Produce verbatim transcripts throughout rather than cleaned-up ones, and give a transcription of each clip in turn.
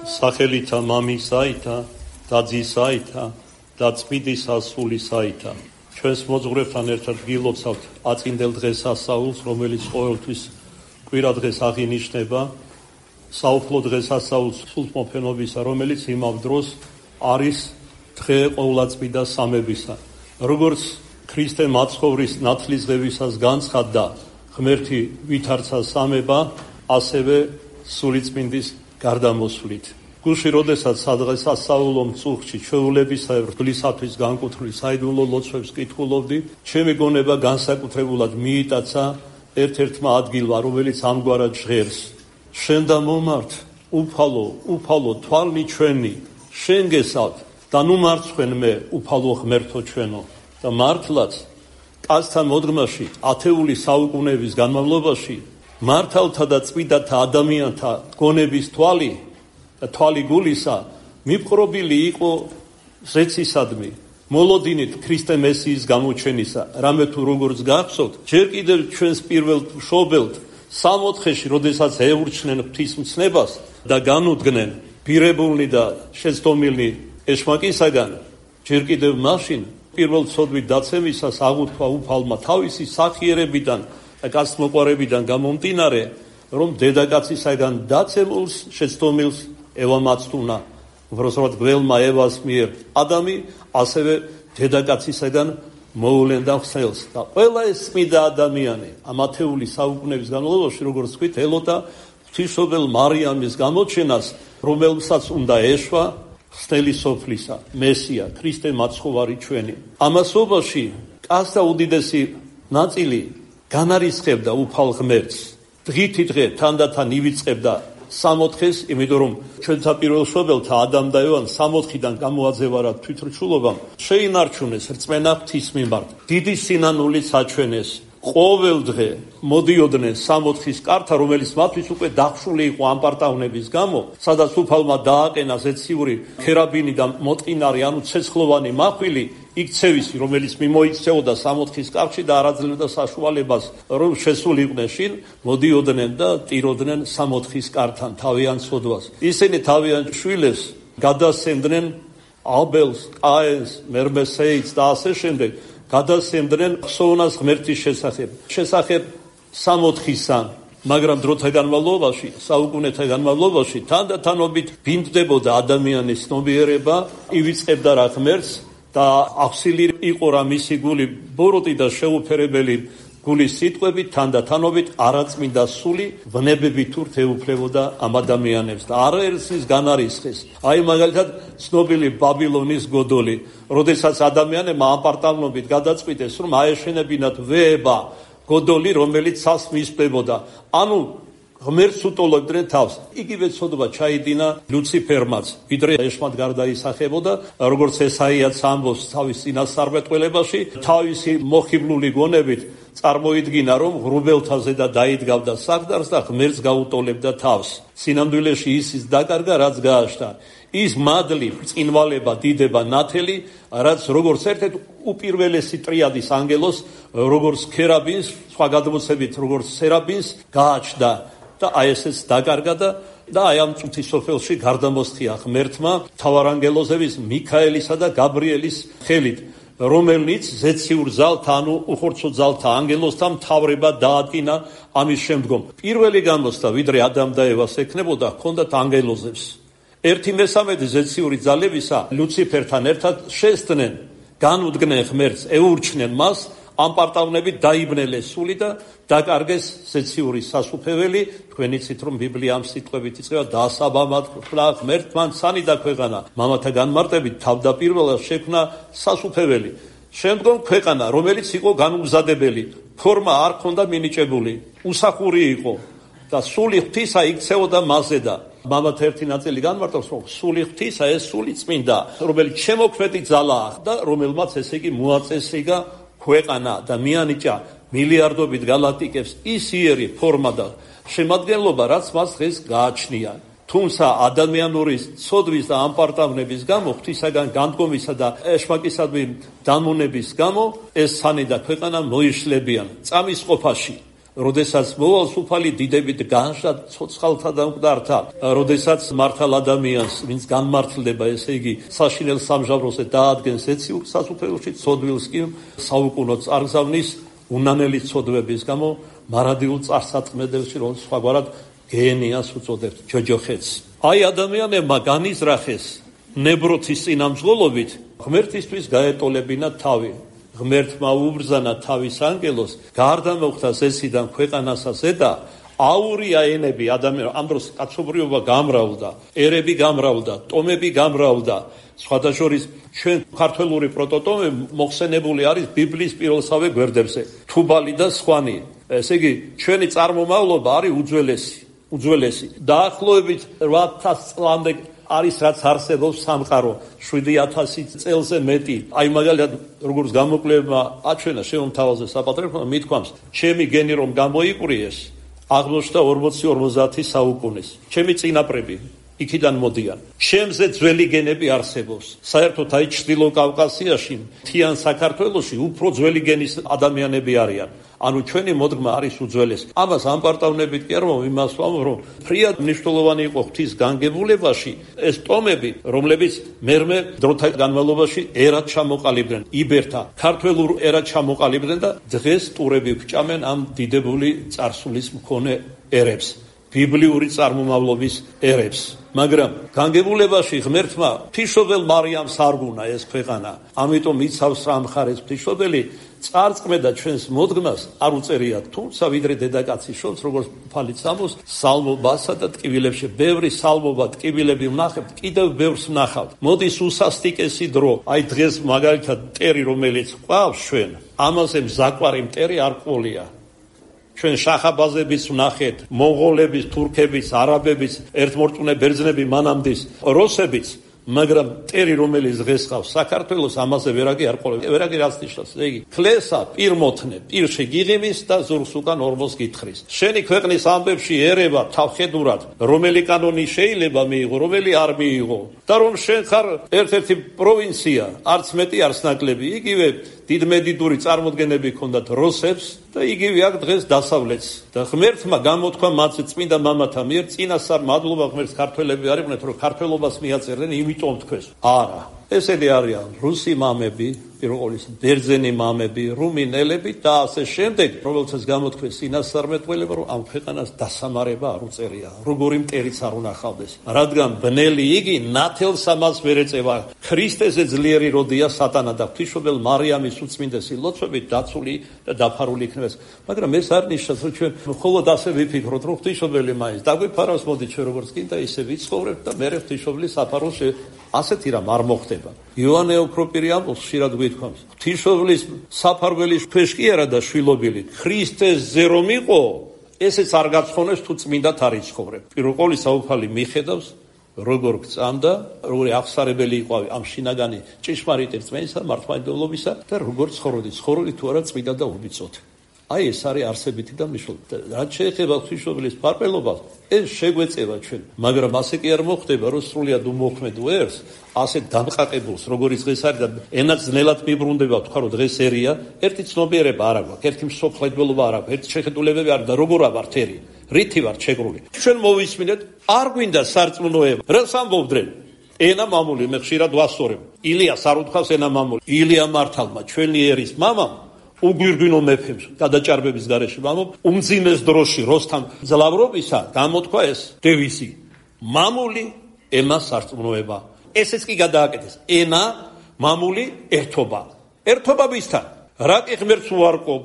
სახელითა მამისაითა და ძისაითა და წმინდისა სულისაითა. ჩვენს მოძღვრებთან ერთად გილოცავთ აწინდელ დღესასწაულს, რომელიც ყოველთვის კვირა დღეს აღინიშნება, საუფლო დღესასწაულს სულთმოფენობისა, რომელიც იმავ დროს არის დღე ყოვლადწმიდა სამებისა. როგორც ქრისტე მაცხოვრის ნათლისღებისას განცხადდა ღმერთი ვითარცა სამება, ასევე სულიწმინდის გარდამოსვლით. გულში როდესაც სადღესასწაულო მწუხში ჩვეულებისა ღვთლისათვის განკუთვნილ საიდუმლო ლოცვებს კითხულობდი, ჩემი გონება განსაკუთრებულად მიიტაცა ერთ-ერთმა ადგილმა, რომელიც ამგვარად ჟღერს: შენ და მომართ, უფალო, უფალო თვალნი ჩვენი, შენ გესავთ და ნუ მარცხვენ მე, უფალო ღმერთო ჩვენო. და მართლაც კაცთა მოდგმაში ათეული საუკუნეების განმავლობაში მართალთა და წმინდათა ადამიანთა გონების თვალი და თვალი გულისა მიპყრობილი იყო ზეცისადმი, მოლოდინით ქრისტე მესიის გამოჩენისა. რამე თუ როგორც გახსოვთ, ჯერ კიდევ ჩვენს პირველ მშობელთ სამოთხეში, როდესაც ეურჩნენ ღვთისმცნებას და განუდგნენ პირებულნი და შეცდომილნი ეშმაკისაგან, ჯერ კიდევ მაშინ პირველ ცოდვით დაცემისას აღუთქვა უფალმა თავისი სახიერებიდან და კაცმოყვარებიდან გამომდინარე, რომ დედაკაცისაგან დაცემულს შეცდომილს ევამაცთუნა. უბრალოდ გველმა ევას მიერ ადამი ასევე დედაკაცისაგან მოულენდა ხსნელს და ყველა ეს წმინდა ადამიანი ამ ათეული საუკუნეების განმავლობაში, როგორც ვთქვით, ელოდა ღვთისმშობელ მარიამის გამოჩენას, რომელსაც უნდა ეშვა ხსნელი სოფლისა, მესია, ქრისტე მაცხოვარი ჩვენი. ამასობაში კაცთა უდიდესი ნაწილი განარისხებდა უფალ ღმერთს. დღითი დღე თანდათან ივიწყებდა სამოთხეს, იმიტომ რომ ჩვენთა პირველ მშობელთა ადამ და ევას სამოთხიდან გამოაძევარათ თვითრჩულობამ, შეინარჩუნეს რწმენა ღვთის მიმართ. დიდი სინანულით საჩვენეს. ყოველ დღე მოდიოდნენ სამოთხის კართან, რომელიც მათთვის უკვე დახშული იყო ამპარტავნების გამო, სადაც უფალმა დააყენა ზეციური ქერაბინი და მოტყინარი, ანუ ცეცხლოვანი მახვილი, იქცევისი, რომელიც მიმოიქცეოდა სამოთხის კარში და არ აძლევდა საშუალებას, რომ შესულიყვნენ შინ, მოდიოდნენ და ტიროდნენ სამოთხის კართან თავიანთ სოდვას. ისინი თავიანთ შვილებს გადასცემდნენ აბელს, კაენს, მერმესეითს და ასე შემდეგ. გადასცემდნენ ხსოვნას ღმერთის შესახებ, შესახებ სამოთხისა, მაგრამ დროთა განმავლობაში, საუკუნეთა განმავლობაში თანდათანობით ბრინდებოდა ადამიანის ცნობიერება, ივიწყებდა რა ღმერთს და ახსილი იყო რა მისი გული ბოროტი და შეუფერებელი გულის სიტყვებით, თანდათანობით არაწმინდა სული ვნებებით ურთ ეუფლებოდა ამ ადამიანებს და არაერთის განარისხეს. აი მაგალითად ცნობილი ბაბილონის გოდოლი, როდესაც ადამიანებმა ამპარტავნობით გადაწყვიტეს, რომ აეშენებინათ ვეება გოდოლი, რომელიც ცას მისპებოდა. ანუ ღმერთს უტოლებდნენ თავს. იგივე ცოდვა ჩაიდინა ლუციფერმაც, ვიდრე ეშმად გარდაისახებოდა, როგორც ესაიაც ამბობს თავის წინასწარმეტყველებაში, თავისი მოხიბლული გონებით წარმოიდგინა, რომ ღრუბელთაზე და დაიდგავდა საყდარს და ღმერთს გაუტოლებდა თავს. სინამდვილეში ისიც დაკარგა, რაც გააშთა. ის მადლი, ბრწყინვალება, დიდება, ნათელი, რაც როგორც ერთ-ერთ უპირველესი ტრიადის ანგელოს, როგორც ქერაბინს, სხვა გადმოცემით, როგორც სერაბინს გააჩნდა და აი ესეც დაკარგა და და აი ამ წუთის სოფელში გარდამოსხია ღმერთმა მთავარანგელოზების მიქაელისა და გაბრიელის ხელით, რომელნიც ზეციურ ძალთა, ანუ უხორცო ძალთა ანგელოზთა მთავრება დაადგინა ამის შემდგომ. პირველი გამოსდა, ვიდრე ადამ და ევას ექნებოდა, ჰქონდათ ანგელოზებს. ერთი მესამედი ზეციური ძალებისა ლუციფერთან ერთად შესწნენ, განუდგნენ ღმერთს, ეურჩნენ მას, ამპარტავნებით დაიბნელეს სული და დაკარგეს ზეციური სასუფეველი. თქვენ იცით, რომ ბიბლია ამ სიტყვებით იწყება: დასაბამად ხვდა ღმერთმა ცანი და ქვეყანა, მამათა განმარტებით თავდაპირველად შექმნა სასუფეველი. შემდგომ ქვეყანა, რომელიც იყო განუგზადებელი, ფორმა არ ჰქონდა მინიჭებული, უსახური იყო და სული ღვთისა იქცეოდა მასზე და მამათა ერთი ნაწილი განმარტავს, რომ სული ღვთისა, ეს სული წმინდა, რომელიც შემოქმედი ძალაა და რომელმაც ესე იგი მოაწესრიგა ქვეყანა და მიანიჭა მილიარდობით გალაქტიკებს ის იერი ფორმა და შემადგენლობა, რაც მას დღეს გააჩნია. თუმცა ადამიანური ცოდვის და ამპარტავნების გამო, ღვთისაგან განდგომისა და ეშმაკისადმი დამონების გამო, ეს სანი და ქვეყანა მოიშლებიან წამის ყოფაში. როდესაც მოვალ სუფალი დიდებით განშა ცოცხალთა და მკვდართა, როდესაც მართალ ადამიანს, ვინც განმართლდება, ესე იგი საშინელ სამჟავროზე დაადგენს ეციურ სასუფეველში, ცოდვილს კი საუკუნო წარგზავნის უნანელი ცოდვების გამო მარადიულ წარსატყმედებში, რომ სხვაგვარად გენიას უწოდებთ, ჯოჯოხეთს. აი ადამიანებმა განიზრახეს ნებროთის წინამძღოლობით ღმერთისთვის გაეტოლებინა თავი. ღმერთმა უბრძანა თავის ანგელოს, გარდა მოხდა ზესიდან ქვეყანასა ზედა, აურია ენები ადამიანს. ამ დროს კაცობრიობა გამრავლდა, ერები გამრავლდა, ტომები გამრავლდა. სხვათა შორის ჩვენ ქართველური პროტოტომი მოხსენებული არის ბიბლიის პირველსავე გვერდებზე, თუბალი და სხვანი. ესე იგი, ჩვენი წარმომავლობა არის უძველესი, უძველესი. დაახლოებით რვა ათას წლამდე არის რაც არსებობს სამყარო, შვიდი ათასი წელზე მეტი. აი მაგალითად როგორც გამოკვლევებმა აჩვენა შემომთავაზე საპატრიარქო მithქვამს, ჩემი გენი რომ გამოიყვრიეს, აღმოჩნდა ორმოცი ორმოცდაათი საუკუნის. ჩემი წინაპრები იქიდან მოდიან. ჩემზე ძველი გენები არსებობს. საერთოდ აი ჩრდილო კავკასიაში, მთიან საქართველოში უფრო ძველი გენის ადამიანები არიან. ანუ ჩვენი მოდგმა არის უძველესი. ამას ამპარტავნებით კი არ მომ იმას ვამბობ, რომ ფრიად მნიშვნელოვანი იყო ღვთის განგებულებაში ეს ტომები, რომლებიც მერმე დროთა განმავლობაში ერად ჩამოყალიბდნენ, იბერთა, ქართველურ ერად ჩამოყალიბდნენ და დღეს ტურები ვჭამენ ამ დიდებული წარსულის მქონე ერებს, ბიბლიური წარმომავლობის ერებს. მაგრამ განგებულებაში ღმერთმა ღვთისმშობელ მარიამს არ გუნა ეს ქვეყანა. ამიტომ იცავს რა მხარეს ღვთისმშობელი წარწმედა ჩვენს მოდგმას არ უწერიათ, თუმცა ვიდრე დედაკაცი შობს, როგორც ფალით სამოს, სალმობასა და ტკივილებში, ბევრი სალმობა ტკივილები ვნახებთ, კიდევ ბევრს ვნახავთ. მოდის უსასტიკესი დრო, აი დღეს მაგალითად მტერი, რომელიც ყავს ჩვენ, ამაზე მზაკვარი მტერი არ ყოლია. ჩვენ შახაბაზების ვნახეთ, მონღოლების, თურქების, არაბების, ერთმორწმუნე ბერძნები მანამდის, როსებიც, მაგრამ მტერი რომელიც დღეს ყავს საქართველოს ამაზე ვერაგი არ ყოლება. ვერაგი რაც ნიშნავს, იგი ქლესა პირმოთნე, პირში გიღიმის და ზურგს უკან ორმოს გითხრის. შენი ქვეყნის ამბებში ერება თავხედურად, რომელი კანონი შეიძლება მიიღო, რომელი არ მიიღო. და რომ შენ ხარ ერთ-ერთი პროვინცია, არც მეტი არც ნაკლები, იგივე დიდმედიდური წარმოდგენები ჰქონდათ როსებს და იგივე აქ დღეს დასავლეთს. და ღმერთმა გამოთქვა მათზე წმინდა მამათა მიერ, წინასწარ მადლობა ღმერთს ქართველები არიყვნენ, რომ ქართველობას მიაწერდნენ, იმიტომ თქვეს. არა, ესენი არიან რუსი მამები, პირველ ყოვლისა, ბერძენი მამები, რუმინელები და ასე შემდეგ, რომელსაც გამოთქვეს წინასწარმეტყველება, რომ ამ ქვეყანას დასამარება არ უწერია, როგორი მტერიც არ უნახავდეს. რადგან ბნელი იგი ნათელს ამას ვერ ეწევა. ქრისტეზე ძლიერი როდია სატანა და ღვთისმშობელ მარიამის უწმინდესი ლოცვებით დაცული და დაფარული იქნებას. მაგრამ ეს არ ნიშნავს, რომ ჩვენ მხოლოდ ასე ვიფიქროთ, რომ ღვთისმშობელი მაინც დაგვიფარავს, მოდი ჩვენ როგორც კიდე ისე ვიცხოვრებთ და მერე ღვთისმშობლის საფაროს ასეთი რამ არ მოხდება. იოანე ოქროპირი ამბობს, ხშირად გვითქვამს, ღვთისმშობლის საფარველი ქვეშ კი არა და შვილობილი, ქრისტესზე რომ იყო, ესეც არ გაცხონებს თუ წმინდად არ იცხოვრებ. პირველ ყოვლისა უფალი მიხედავს, როგორ გწამდა, როგორი აღსარებელი იყო ამ შინაგანი ჭეშმარიტი რწმენისა, მართლმადიდებლობისა და როგორ ცხოვრობდი, ცხოვრობდი თუ არა წმინდა და უბიწოთი. აი ეს არის არსებითი და მნიშვნელოვანი. რაც შეეხება ღვთისმშობლის ფარპელობას, ეს შეგვეწევა ჩვენ, მაგრამ ასე კი არ მოხდება, რომ სრულიად უმოქმედ ვერს, ასე დამყაყებულს, როგორც დღეს არის და ენაც ძნელად მიბრუნდება, თქვა რომ დღეს ერია, ერთი ცნობიერება არ აქვს, ერთი მსოფლმხედველობა არ აქვს, ერთი შეხედულებები არ და როგორ ავართ ერი, რითი ვართ შეგრული. ჩვენ მოვისმინეთ, არ გვინდა სარწმუნოება. რას ამბობდნენ? ენა მამული, მე ხშირად ვასწორებ. ილიას არ უთქვას ენა მამული. ილია მართალმა, ჩვენი ერის მამამ უგვირგვინო მეფემს გადაჭარბების გარეშე მამობ უმძიმეს დროში როსთან ძლავრობისა გამოთქვა ეს დევიზი მამული ენა სარწმუნოება. ესეც კი გადააკეთეს ენა მამული ერთობა. ერთობა ვისთან? რა კი ღმერთს უარყოფ,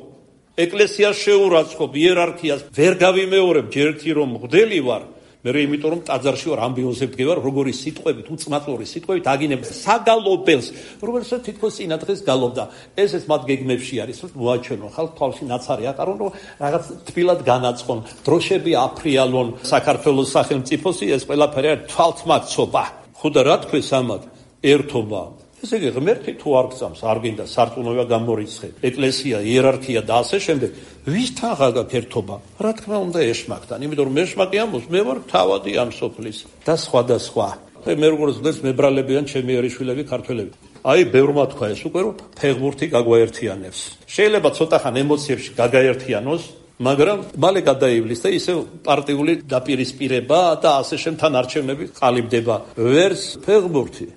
ეკლესიას შეურაცხყოფ, იერარქიას ვერ გავიმეორებ, ჯერ ერთი რომ მღვდელი ვარ, მე იმიტომ რომ ტაძარში ვარ ამბიოზებ დგევარ, როგორი სიტყვებით, უწმაწლური სიტყვებით აგინებ საგალობელს, რომელსაც თითქოს წინა დღეს გალობდა. ესეც მათ გეგმებში არის, რომ მოაჩვენონ ხალხ თვალში ნაცარი ატარონ, რომ რაღაც თბილად განაწყონ, დროშები აფრიალონ საქართველოს სახელმწიფოსი, ეს ყველაფერი არის თვალთმაქცობა. ხოდა რა თქვეს ამათ? ერთობა. ესე იგი ღმერთი თუ არ გწამს, არ გინდა სარწმუნოება გამორიცხე, ეკლესია, იერარქია და ასე შემდეგ, ვისთან ღაგაკ ერთობა? რა თქმა უნდა ეშმაკთან, იმიტომ რომ ეშმაკი ამბობს, მე ვარ თავადი ამ სოფლის და სხვა და სხვა. მე როგორც ვთქვი, მებრალებიან ჩემი ერიშვილები ქართველები. აი, ბევრმა თქვა ეს უკვე, რომ ფეხბურთი გაგვაერთიანებს. შეიძლება ცოტა ხან ემოციებში გაგაერთიანოს, მაგრამ მალე გადაივლის და ისე პარტიული დაპირისპირება და ასე შემთან არჩევნები ყალიბდება. ვერც ფეხბურთი,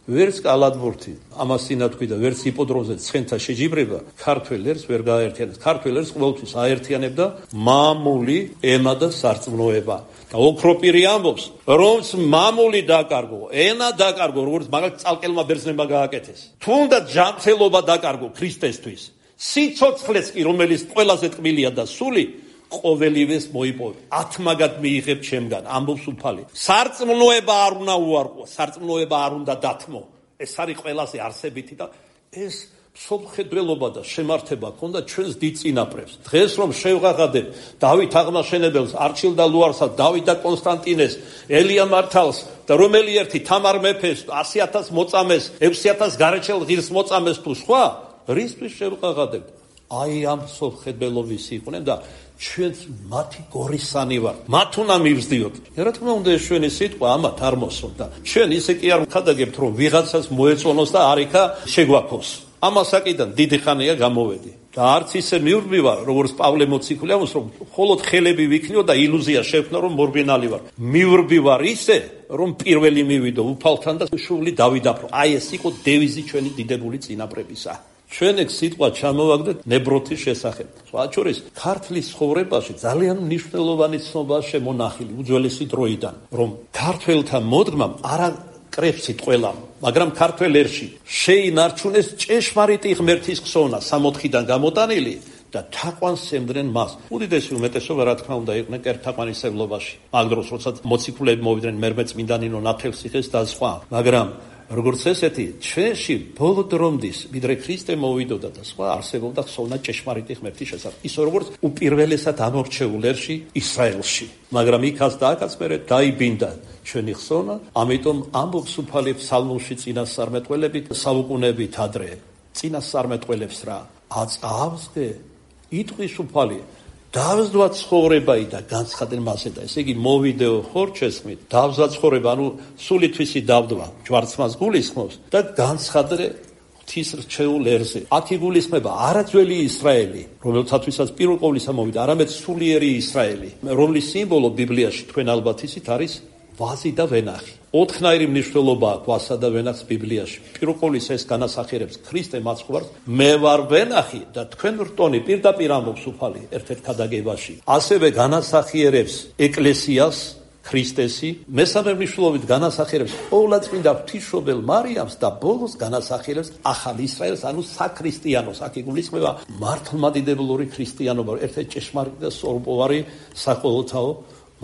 ვერც კალათბურთი, ამას სინათქვი და ვერც იპოდრომზე ცხენთა შეჯიბრება ქართველ ერს ვერ გააერთიანებს. ქართველ ერს ყოველთვის აერთიანებდა მამული ენა და სარწმუნოება. და ოქროპირი ამბობს, რომ მამული დაკარგო, ენა დაკარგო, როგორც მაგალითად წალკელმა ბერძნებმა გააკეთეს. თუნდაც ჯანმრთელობა დაკარგო ქრისტესთვის. სიცოცხლეც კი, რომელიც ყველაზე ტკბილია და სული, ყოველივეს მოიპოვე. ათმაგად მიიღებ ჩემგან, ამბობს უფალი. სარწმუნოება არ უნდა უარყო, სარწმუნოება არ უნდა დათმო. ეს არის ყველაზე არსებითი და ეს სოფხედველობა და შემართება ქონდა ჩვენს დიდ წინაპრებს. დღეს რომ შევღაღადებ დავით აღმაშენებელს, არჩილ და ლუარსას, დავით და კონსტანტინეს, ელია მართალს და რომელი ერთი თამარ მეფეს, ასი ათას მოწამეს, ექვსი ათას გარეჩელ ღირს მოწამეს თუ სხვა, რისთვის შევღაღადებ? აი ამ სოფხედველობის იყვნენ და ჩვენც მათი გორისანი ვარ. მათ უნდა მივსდიოთ. რა თქმა უნდა ეს ჩვენი სიტყვა ამათ არ მოსვლა და ჩვენ ისე კი არ ვხადაგებთ რომ ვიღაცას მოეწონოს და არიქა შეგვაქოს. ამას საკიდან დიდი ხანია გამოვედი და არც ისე მივრბი ვარ, როგორც პავლე მოციქული ამბობს, რომ მხოლოდ ხელები ვიქნიო და ილუზია შევქნო, რომ მორბინალი ვარ. მივრბი ვარ ისე, რომ პირველი მივიდო უფალთან და შუბლი დავიდაფრო. აი ეს იყო დევიზი ჩვენი დიდებული წინაპრებისა. ჩვენ ეგ სიტყვა ჩამოვაგდეთ ნებროთის შესახებ. სხვა შორის ქართლის ცხოვრებაში ძალიან მნიშვნელოვანი ცნობა შემონახილი უძველესი დროიდან, რომ ქართველთა მოდგმამ არა კრებსით ყველამ, მაგრამ ქართველ ერში შეინარჩუნეს ჭეშმარიტი ღმერთის ხსოვნა სამოთხიდან გამოტანილი და თაყვანს სცემდნენ მას. უდიდესი უმეტესობა რა თქმა უნდა იყვნენ კერთთაყვანისმცემლობაში. მაგ დროს როცა მოციქულები მოვიდნენ მერმე წმინდანინო ნათელსიხეს და სხვა, მაგრამ როგორც ესეთი ჩვენში ბოლო დრომდის ვიდრე ქრისტე მოვიდოდა და სხვა არსებობდა ხსოვნა ჭეშმარიტი ღმერთის შესახებ. ისე როგორც უპირველესად ამორჩეულ ერში ისრაელში. მაგრამ იქაც და აქაც მერე დაიბინდა ჩვენი ხსოვნა, ამიტომ ამბობს უფალი ფსალმუნში წინასწარმეტყველებით, საუკუნეებით ადრე. წინასწარმეტყველებს რა აწავსგე იტყვის უფალი დავსდვა ცხოვრებაი და განცხადენ მასე და ესე იგი მოვიდეო ხორჩესმით დავსდვა ცხოვრება, ანუ სულითვისი დავდვა ჯვარცმას გულისხმობს და განცხადე ღვთის რჩეულ ერზე. აქ იგულისხმება არა ძველი ისრაელი, რომელთათვისაც პირველ ყოვლისა მოვიდა, არამედ სულიერი ისრაელი, რომლის სიმბოლო ბიბლიაში თქვენ ალბათ ისით არის ვაზი და ვენახი. ოთხნაირი მნიშვნელობა აქვს ვაზსა და ვენახს ბიბლიაში. პირველ ყოვლისა ეს განასახიერებს ქრისტე მაცხოვარს, მე ვარ ვენახი და თქვენ რტონი, პირდაპირ ამბობს უფალი ერთ-ერთ ქადაგებაში. ასევე განასახიერებს ეკლესიას, ქრისტესი, მესამე მნიშვნელობით განასახიერებს ყოვლადწმინდა ღვთისმშობელ მარიამს და ბოლოს განასახიერებს ახალ ისრაელს, ანუ საქრისტიანოს. აქ იგულისხმება მართლმადიდებლური ქრისტიანობა, ერთ-ერთი ჭეშმარიტი და სწორპოვარი საყოველთაო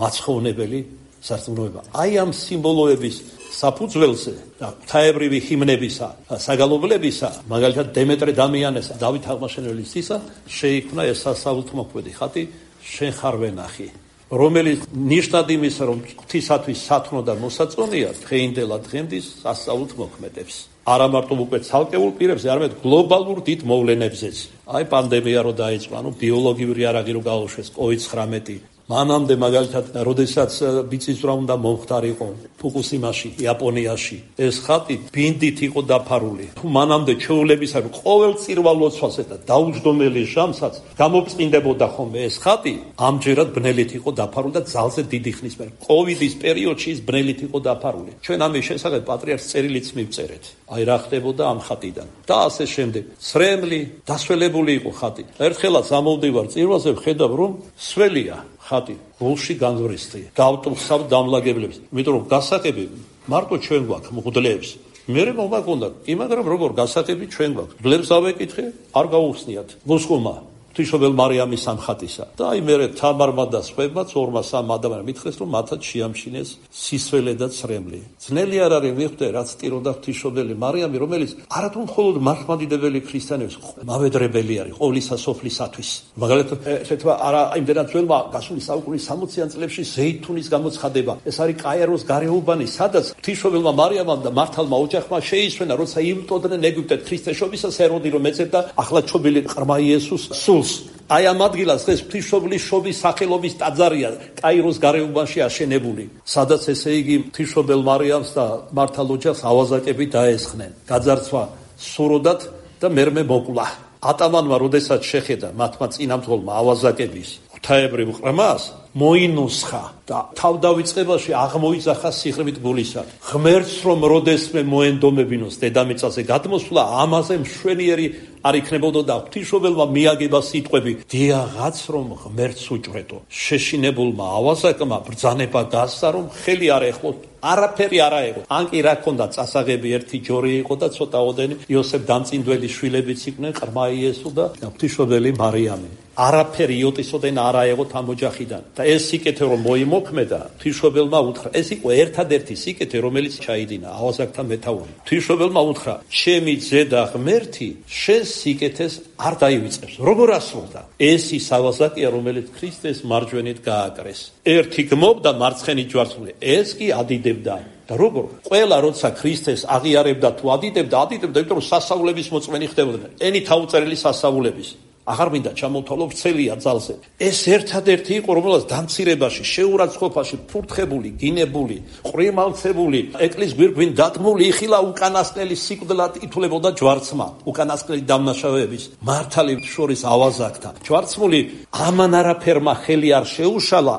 მაცხოვრებელი სარწმუნოება. აი ამ სიმბოლოების საფუძველზე და ღვთაებრივი ჰიმნებისა, საგალობლებისა, მაგალითად დემეტრე დამიანესა, დავით აღმაშენებელის ისა, შეიქმნა ეს სასაულთმოქმედი ხატი შენ ხარ ვენახი, რომელიც ნიშნად იმისა, რომ ღვთისათვის სათნო და მოსაწონია დღეინდელა დღემდის სასაულთმოქმედებს. არა მარტო უკვე ცალკეულ პირებზე, არამედ გლობალურ დიდ მოვლენებზეც. აი პანდემია რო დაიწყო, ანუ ბიოლოგიური არაღი რო გაუშვეს კოვიდ ცხრამეტი. მანამდე მაგალითად, როდესაც ბიწისძვრა უნდა მომხდარიყო ფუკუსიმაში, იაპონიაში, ეს ხატი ბინდით იყო დაფარული. თუ მანამდე ჩვეულებისა, რომ ყოველ წირვალოცვასე და დაუჯდომელი ჟამსაც გამოფწინდებოდა ხოლმე ეს ხატი, ამჯერად ბნელით იყო დაფარული და ძალზე დიდი ხნის მერე. კოვიდის პერიოდში ის ბნელით იყო დაფარული. ჩვენ ამის შესახებ პატრიარქს წერილიც მივწერეთ. აი რა ხდებოდა ამ ხატიდან. და ასე შემდეგ. სრემლი, დასველებული იყო ხატი. ერთხელაც ამოვდივარ წირვალზე, ვხედავ რომ სველია ხატი გულში განვრისთი დავტვხავ დამლაგებლებს, იმიტომ რომ გასაღები მარტო ჩვენ გვაქვს მღვდლებს. მე მომაგონდა, მაგრამ როგორ გასაღები ჩვენ გვაქვს. მღვდლებს დავეკითხე, არ გაუხსნიათ. მოსკომა ღვთისმშობელ მარიამის ამ ხატისა. და აი მე თამარმა და სხვებმაც ორმა სამ ადამიანმა მითხრეს, რომ მათაც შეამჩინეს სისველე და ცრემლი. ძნელი არ არის მიხვდე, რაც ტიროდა ღვთისმშობელი მარიამი, რომელიც არათუ მხოლოდ მართლმადიდებელი ქრისტიანების მავედრებელი არის ყოვლისა სოფლისათვის. მაგალითად, ეთქვა არა იმდენად ძველმა გასული საუკუნის სამოციან წლებში ზეითუნის გამოცხადება. ეს არის კაიროს გარეუბანი, სადაც ღვთისმშობელმა მარიამამ და მართალმა ოჯახმა შეისვენა, როცა იბტოდნენ ეგვიპტეთ ქრისტეშობისას ეროდი, რომ ეძებდა ახლა ჩობილი ყრმა იესოს სულს. აი ამ ადგილას დღეს ღვთისმშობლის შობის სახელობის ტაძარია კაიროს გარეუბანში აშენებული, სადაც ესე იგი ღვთისმშობელ მარიამს და მართალ ოჯახს ავაზაკები დაესხნენ. გაძარცვა სუროდათ და მერმე მოკლა. ატამანმა როდესაც შეხედა მათმა წინამძღოლმა ავაზაკების ღვთაებრივ ყრმას მოინუსხა და თავდავიწყებაში აღმოიძახა სიღრმით გულისა. ღმერთს რომ როდესმე მოენდომებინოს დედამიწაზე გადმოსვლა, ამაზე მშვენიერი არ იქნებოდა და ღვთისმშობელმა მიაგება სიტყვები: დიაღაც რომ ღმერთს უჭვრეტო. შეშინებულმა ავაზაკმა ბრძანება გასცა, რომ ხელი არ ეხლოს, არაფერი არ აეღო. ან კი რა ქონდა, წასაღები ერთი ჯორი იყო და ცოტაოდენი იოსებ დამწინდველი შვილებიც იყვნენ, ყრმა იესო და ღვთისმშობელი მარიამი. არაფერი იოტისოდენ არ აეღოთ ამ ოჯახიდან. და ეს სიკეთე რომ მოიმოქმედა, ღვთისმშობელმა უთხრა, ეს იყო ერთადერთი სიკეთე, რომელიც ჩაიდინა ავაზაკთან მეთაური. ღვთისმშობელმა უთხრა: ჩემი ძედა ღმერთი შენს სიკეთეს არ დაივიწყებს. როგორ ასრულდა? ეს ის ავაზაკია, რომელიც ქრისტეს მარჯვენით გააკრეს. ერთი გმობდა მარცხენით ჯვარცმული, ეს კი ადიდებდა. და როგორ? ყველა როცა ქრისტეს აღიარებდა თუ ადიდებდა, ადიდებდა, იმიტომ რომ სასაულების მოწმენი ხდებოდნენ. ენი თავწერილი სასაულების. აღარ მინდა ჩამოვთვალო, ვრცელია ძალზე. ეს ერთადერთი იყო, რომელსაც დამცირებაში, შეურაცხყოფაში, ფურთხებული, გინებული, ყრიმალცებული, ეკლესიის გვირგვინ დადგმული იხილა უკანასკნელი სიკვდილად ითვლებოდა ჯვარცმა, უკანასკნელი დამნაშავეების მართალი შორის ავაზაკთან. ჯვარცმული ამან არაფერმა ხელი არ შეუშალა,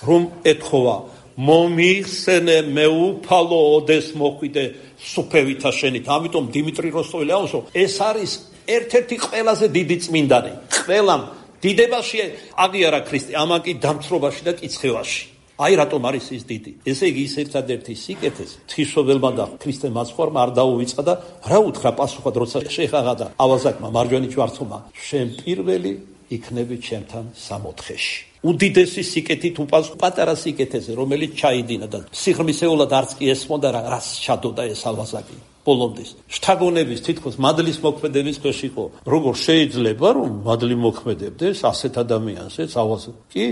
რომ ეთხოვა: მომიხსენე მეუფალო ოდეს მოხვიდე სუფევითა შენით. ამიტომ დიმიტრი როსტოველი აუზო, ეს არის ერთ-ერთი ყველაზე დიდი წმინდანი. ყველამ დიდებაში აღიარა ქრისტე, ამან კი დამცრობაში და კიცხევაში. აი რატომ არის ის დიდი. ესე იგი ის ერთადერთი სიკეთეს ღვთისმშობელმა და ქრისტე მაცხვარმა არ დაუვიწყა და რა უთხრა პასუხად, როცა შეხაღა და ავაზაკმა მარჯვენა ჯვარცმმა: შენ პირველი იქნები ჩემთან სამოთხეში. უდიდესი სიკეთით უპას პატარა სიკეთეზე, რომელიც ჩაიდინა და სიღრმისეულად არც კი ესმოდა რა რას ჩადოდა ეს ავაზაკი. ბოლომდის შთაგონების თითქოს მადლის მოქმედების ქვეშ იყო. როგორ შეიძლება რომ მადლი მოქმედებდეს ასეთ ადამიანს, ეს ავაზაკი? კი,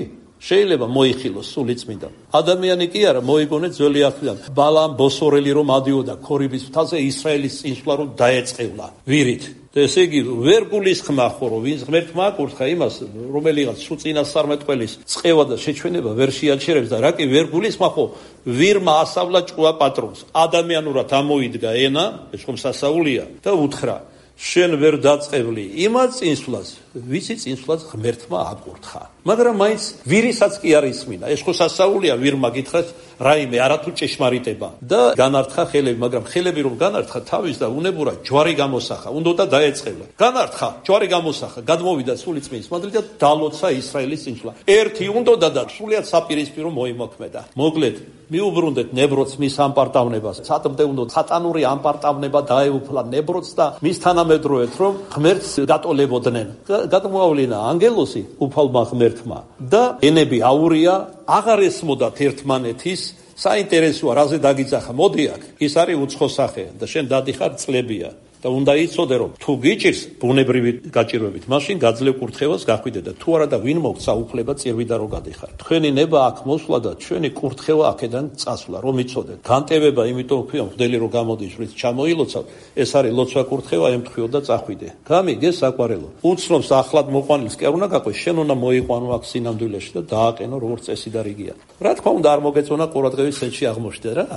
შეიძლება მოიხილოს სულიწმიდა. ადამიანი კი არა, მოიგონეთ ძველი აღთქმიდან. ბალამ ბოსორელი რომ ადიოდა ქორიბის მთაზე, ისრაელის წინსვლა რომ დაეწყევლა ვირით. და ესე იგი ვერ გულისხმა ხო, რომ ვინც ღმერთმა აკურთხა იმას, რომელიღაც სულ წინასწარმეტყველის წყევა და შეჩვენება ვერ შეაჩერებს და რა კი ვერ გულისხმა ხო, ვირმა ასავლა ჭკუა პატრონს. ადამიანურად ამოიდგა ენა, ეს ხომ სასაულია და უთხრა: შენ ვერ დაწყევლი იმას წინსვლას, ვიცი წინსვლას ღმერთმა აკურთხა. მაგრამ მაინც ვირისაც კი არ ისმინა. ეს ხო სასაულია, ვირმა გითხრას რაიმე არათუ ჭეშმარიტება და განართხა ხელები, მაგრამ ხელები რომ განართხა თავის და უნებურა ჯვარი გამოსახა, უნდა დაეწყევლა. განართხა, ჯვარი გამოსახა, გადმოვიდა სულიწმის მადლი და დალოცა ისრაელის წინსვლა. ერთი უნდა და სულიად საპირისპირო მოიმოქმედა. მოკლედ, მიუბრუნდეთ ნებროც მის ამპარტავნებას. სატმდე უნდა სატანური ამპარტავნება დაეუფლა ნებროც და მის თანამედროვედ რომ ღმერთს დატოლებოდნენ. გადმოავლინა ანგელოსი უფალმა ღმერთმა და ენები აურია, აღარ ესმოდათ ერთმანეთის. საინტერესოა, რაზე დაგიძახა, მოდი აქ. ის არის უცხო სახე და შენ დადიხარ წლებია. და უნდა იცოდე რომ თუ გიჭირს ბუნებრივი გაჭირვებით, მაშინ გაძლევ კურთხევას გახვიდე და თუ არა და ვინ მოგცა უფლება წირვიდა რომ გადიხარ. თქვენი ნება აქ მოსვლა და ჩვენი კურთხევა აქედან წასვლა, რომ იცოდეთ. განტევება იმიტომ ვქია, მღვდელი რომ გამოდის, რის ჩამოილოცავ, ეს არის ლოცვა კურთხევა, ემთხიო და წახვიდე. გამიგე საყვარელო. უცნობს ახლად მოყვანილს კი არ უნდა გაყვე, შენ უნდა მოიყვანო აქ სინამდვილეში და დააყენო როგორც წესი და რიგია. რა თქმა უნდა არ მოგეწონა ყურადღების ცენტრში აღმოჩნდე რა.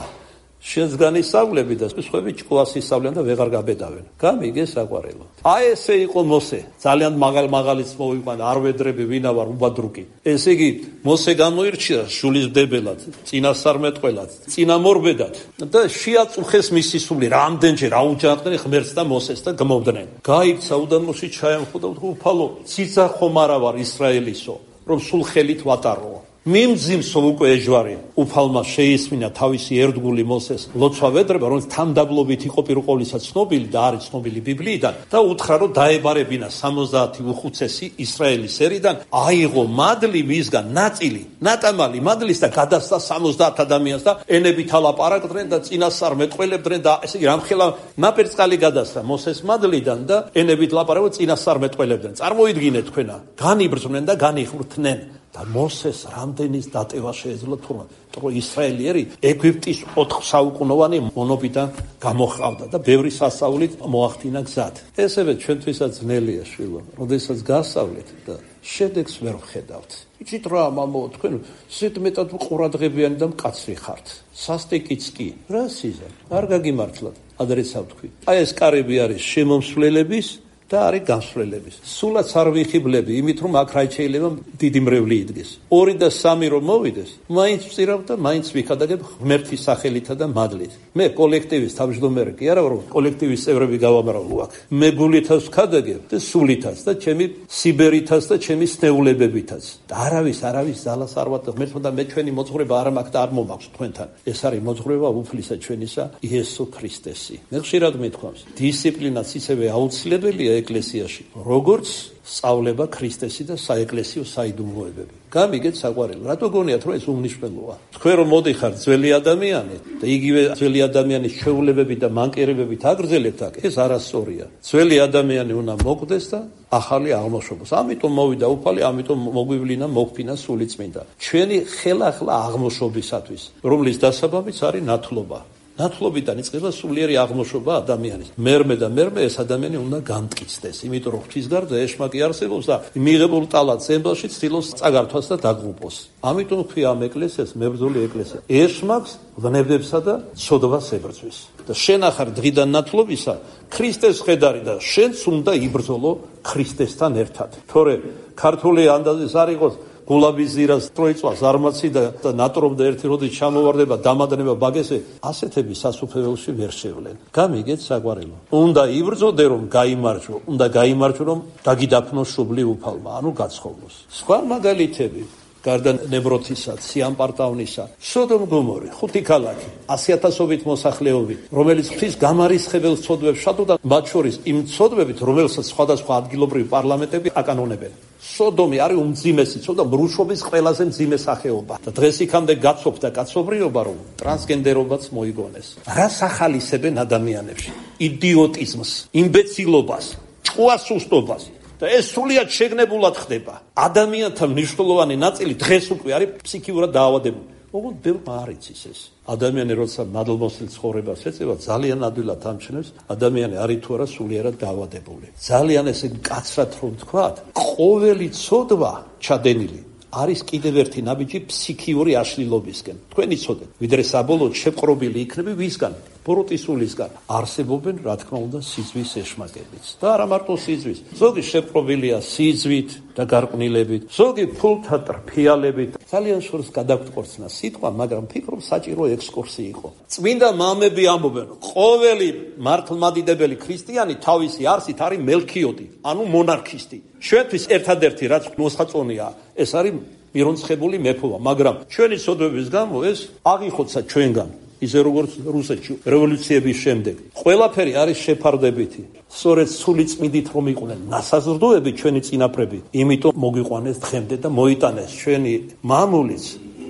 შენს განისწავლები და სხვები ჭკუას ისწავლიან და ვეღარ გაბედავენ. გამიგე საყვარელო. აი ესე იყო მოსე. ძალიან მაღალ მაღალიც მოვიყვანა, არ ვედრები ვინა ვარ უბადრუკი. ესე იგი მოსე გამოირჩია შულისმდებელად, წინასწარმეტყველად, წინამორბედად და შეაწუხეს მისი სული. რამდენჯერ აუჯანყდნენ ღმერთს და მოსეს და გმობდნენ. გაიქცა უდანოში ჩაემხო და უფალო, ციცა ხომ არა ვარ ისრაელისო, რომ სულ ხელით ვატარო. მიმძიმსო უკვე ეჯვარი. უფალმა შეისმინა თავისი ერთგული მოსეს ლოცვა ვედრება, რომელიც თამდაბლობით იყო პირველყოლისა ცნობილი და არის ცნობილი ბიბლიიდან და უთხრა რომ დაებარებინა სამოცდაათი უხუცესი ისრაელის ერიდან, აიღო მადლი მისგან ნაწილი, ნატამალი მადლის და გადასცა სამოცდაათ ადამიანს და ენებით ალაპარაკდნენ და წინასწარმეტყველებდნენ და ესე იგი რამხელა ნაპერწკალი გადასცა მოსეს მადლიდან და ენებით ლაპარაკობდნენ, წინასწარმეტყველებდნენ. წარმოიდგინეთ თქვენა, განიბრძვნენ და განიხრთნენ. და მოსეს რამდენის დატევა შეეძლო თურმე, რომ ისრაელიერი ეგვიპტის ოთხ საუკუნოვანი მონობიდან გამოჰყავდა და ბევრი სასწაულით მოახდინა გზად. ესევე ჩვენთვისაც ძნელია შვილო, როდესაც გასავლეთ და შედეგს ვერ ვხედავთ. იცით რა, მამო, თქვენ ისეთ მეტად ყურადღებიანი და მკაცრი ხართ. სასტიკიც კი, რა სიზა, არ გაგიმართლათ, ადრეცა ვთქვი. აი ეს კარები არის შემომსვლელების და არის განსვლელების. სულაც არ ვიხიბლები, იმით რომ აქ რაც შეიძლება დიდი მრევლი იდგეს. ორი და სამი რომ მოვიდეს, მაინც ვწირავ და მაინც ვიქადაგებ ღმერთის სახელითა და მადლით. მე კოლექტივის თავმჯდომარე კი არა, რომ კოლექტივის წევრები გავამრავლო აქ. მე გულითაც ვქადაგებ და სულითაც და ჩემი სიბერითაც და ჩემი სნეულებებითაც. და არავის არავის ძალას არ ვატყობ. ღმერთმა და მე ჩვენი მოძღვრება არ მაქვს და არ მომაქვს თქვენთან. ეს არის მოძღვრება უფლისა ჩვენისა იესო ქრისტესი. მე ხშირად მithქვამს, დისციპლინაც ისევე აუცილებელია ეკლესიაში, როგორც სწავლება ქრისტესი და საეკლესიო საიდუმლოებები. გამიგეთ საყვარელი, რატო გონიათ რომ ეს უმნიშვნელოა? თქვენ რომ მოდიხარ ძველი ადამიანი და იგივე ძველი ადამიანის ჩვეულებები და მანკერებებით აგრძელებთ აქ, ეს არასწორია. ძველი ადამიანი უნდა მოკვდეს და ახალი აღმოჩნდეს. ამიტომ მოვიდა უფალი, ამიტომ მოგვივლინა მოგფინა სული წმინდა. ჩვენი ხელახლა აღმოჩნებისათვის, რომლის დასაბამიც არის ნათლობა. ნათლობიდან იწყება სულიერი აღმოჩნდა ადამიანის. მერმე და მერმე ეს ადამიანი უნდა გამტკიცდეს, იმიტომ რომ ღვთისგარდა ეშმაკი არსებობს და მიღებულ ტალანტს ემბელში ცდილობს წაგართვას და დაგღუპოს. ამიტომ ქვია ამ ეკლესიას მებრძოლი ეკლესია. ეშმაკს ვნებებსა და ცოდვას ებრძვის. და შენ ახარ დღიდან ნათლობისა ქრისტეს ხედარი და შენც უნდა იბრძოლო ქრისტესთან ერთად. თორე ქართული ანდაზის არ იყოს გულაბის ზირას ტროიწვას არმაცი და ნატრობდა ერთი როდი ჩამოვარდება დამადნება ბაგესე, ასეთები სასუფეველში ვერ შევლენ. გამიგეთ საყვარელო. უნდა იბრძოდე რომ გაიმარჯვო, უნდა გაიმარჯვო რომ დაგიდაფნო შუბლი უფალმა, ანუ გაცხოვნოს. სხვა მაგალითები გარდა ნებროთისა, სიამპარტავნისა, სოდომ გომორი, ხუთი ქალაქი, ასი ათასობით მოსახლეობი, რომელიც ღვთის გამარისხებელ ცოდვებს შადოდა, მათ შორის იმ ცოდვებით, რომელსაც სხვადასხვა ადგილობრივი პარლამენტები აკანონებენ. სოდომი არის უმძიმესი ცოდვა, მრუშობის ყველაზე მძიმე სახეობა. და დღეს იქამდე გაცოფდა კაცობრიობა, რომ ტრანსგენდერობაც მოიგონეს. რას ახალისებენ ადამიანებში? იდიოტიზმს, იმბეცილობას, ჭკუასუსტობას. და ეს სულიად შეგნებულად ხდება. ადამიანთა მნიშვნელოვანი ნაწილი დღეს უკვე არის ფსიქიურად დაავადებული. ოღონდ ბევრმა არ იცის ეს. ადამიანი როცა მადლმოსილ ცხოვრებას ეწევა, ძალიან ადვილად ამჩნევს, ადამიანი არის თუ არა სულიერად დაავადებული. ძალიან ესე მკაცრად რომ ვთქვათ, ყოველი ცოდვა ჩადენილი არის კიდევ ერთი ნაბიჯი ფსიქიური აშლილობისკენ. თქვენი ცოდეთ, ვიდრე საბოლოოდ შეპყრობილი იქნება ვისგან? ბოროტისულისგან. არსებობენ, რა თქმა უნდა, სიძვის ეშმაკებიც. და არა მარტო სიძვის. ზოგი შეპყრობილია სიძვით და გარყვნილებით, ზოგი ფულთა ტრფიალებით. ძალიან შორს გადაგვტყორცნა სიტყვა, მაგრამ ფიქრობ საჭირო ექსკურსი იყო. წმინდა მამები ამბობენ, ყოველი მართლმადიდებელი ქრისტიანი თავისი არსით არის მელქიოდი, ანუ მონარქისტი. ჩვენთვის ერთადერთი რაც მოსაწონია, ეს არის მირონცხებული მეფობა, მაგრამ ჩვენი ცოდვების გამო ეს აღიხოცა ჩვენგან. ისე როგორც რუსეთში რევოლუციების შემდეგ. ყველაფერი არის შეფარდებითი. სწორედ სული წმინდით რომ იყვნენ ნასაზრდოები ჩვენი წინაპრები, იმიტომ მოგვიყვანეს დღემდე და მოიტანეს ჩვენი მამულიც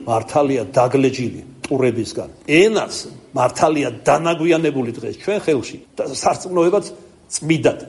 მართალია დაგლეჯილი ტურებისგან. ენაც მართალია დანაგვიანებული დღეს ჩვენ ხელში და სარწმუნოებაც წმიდად.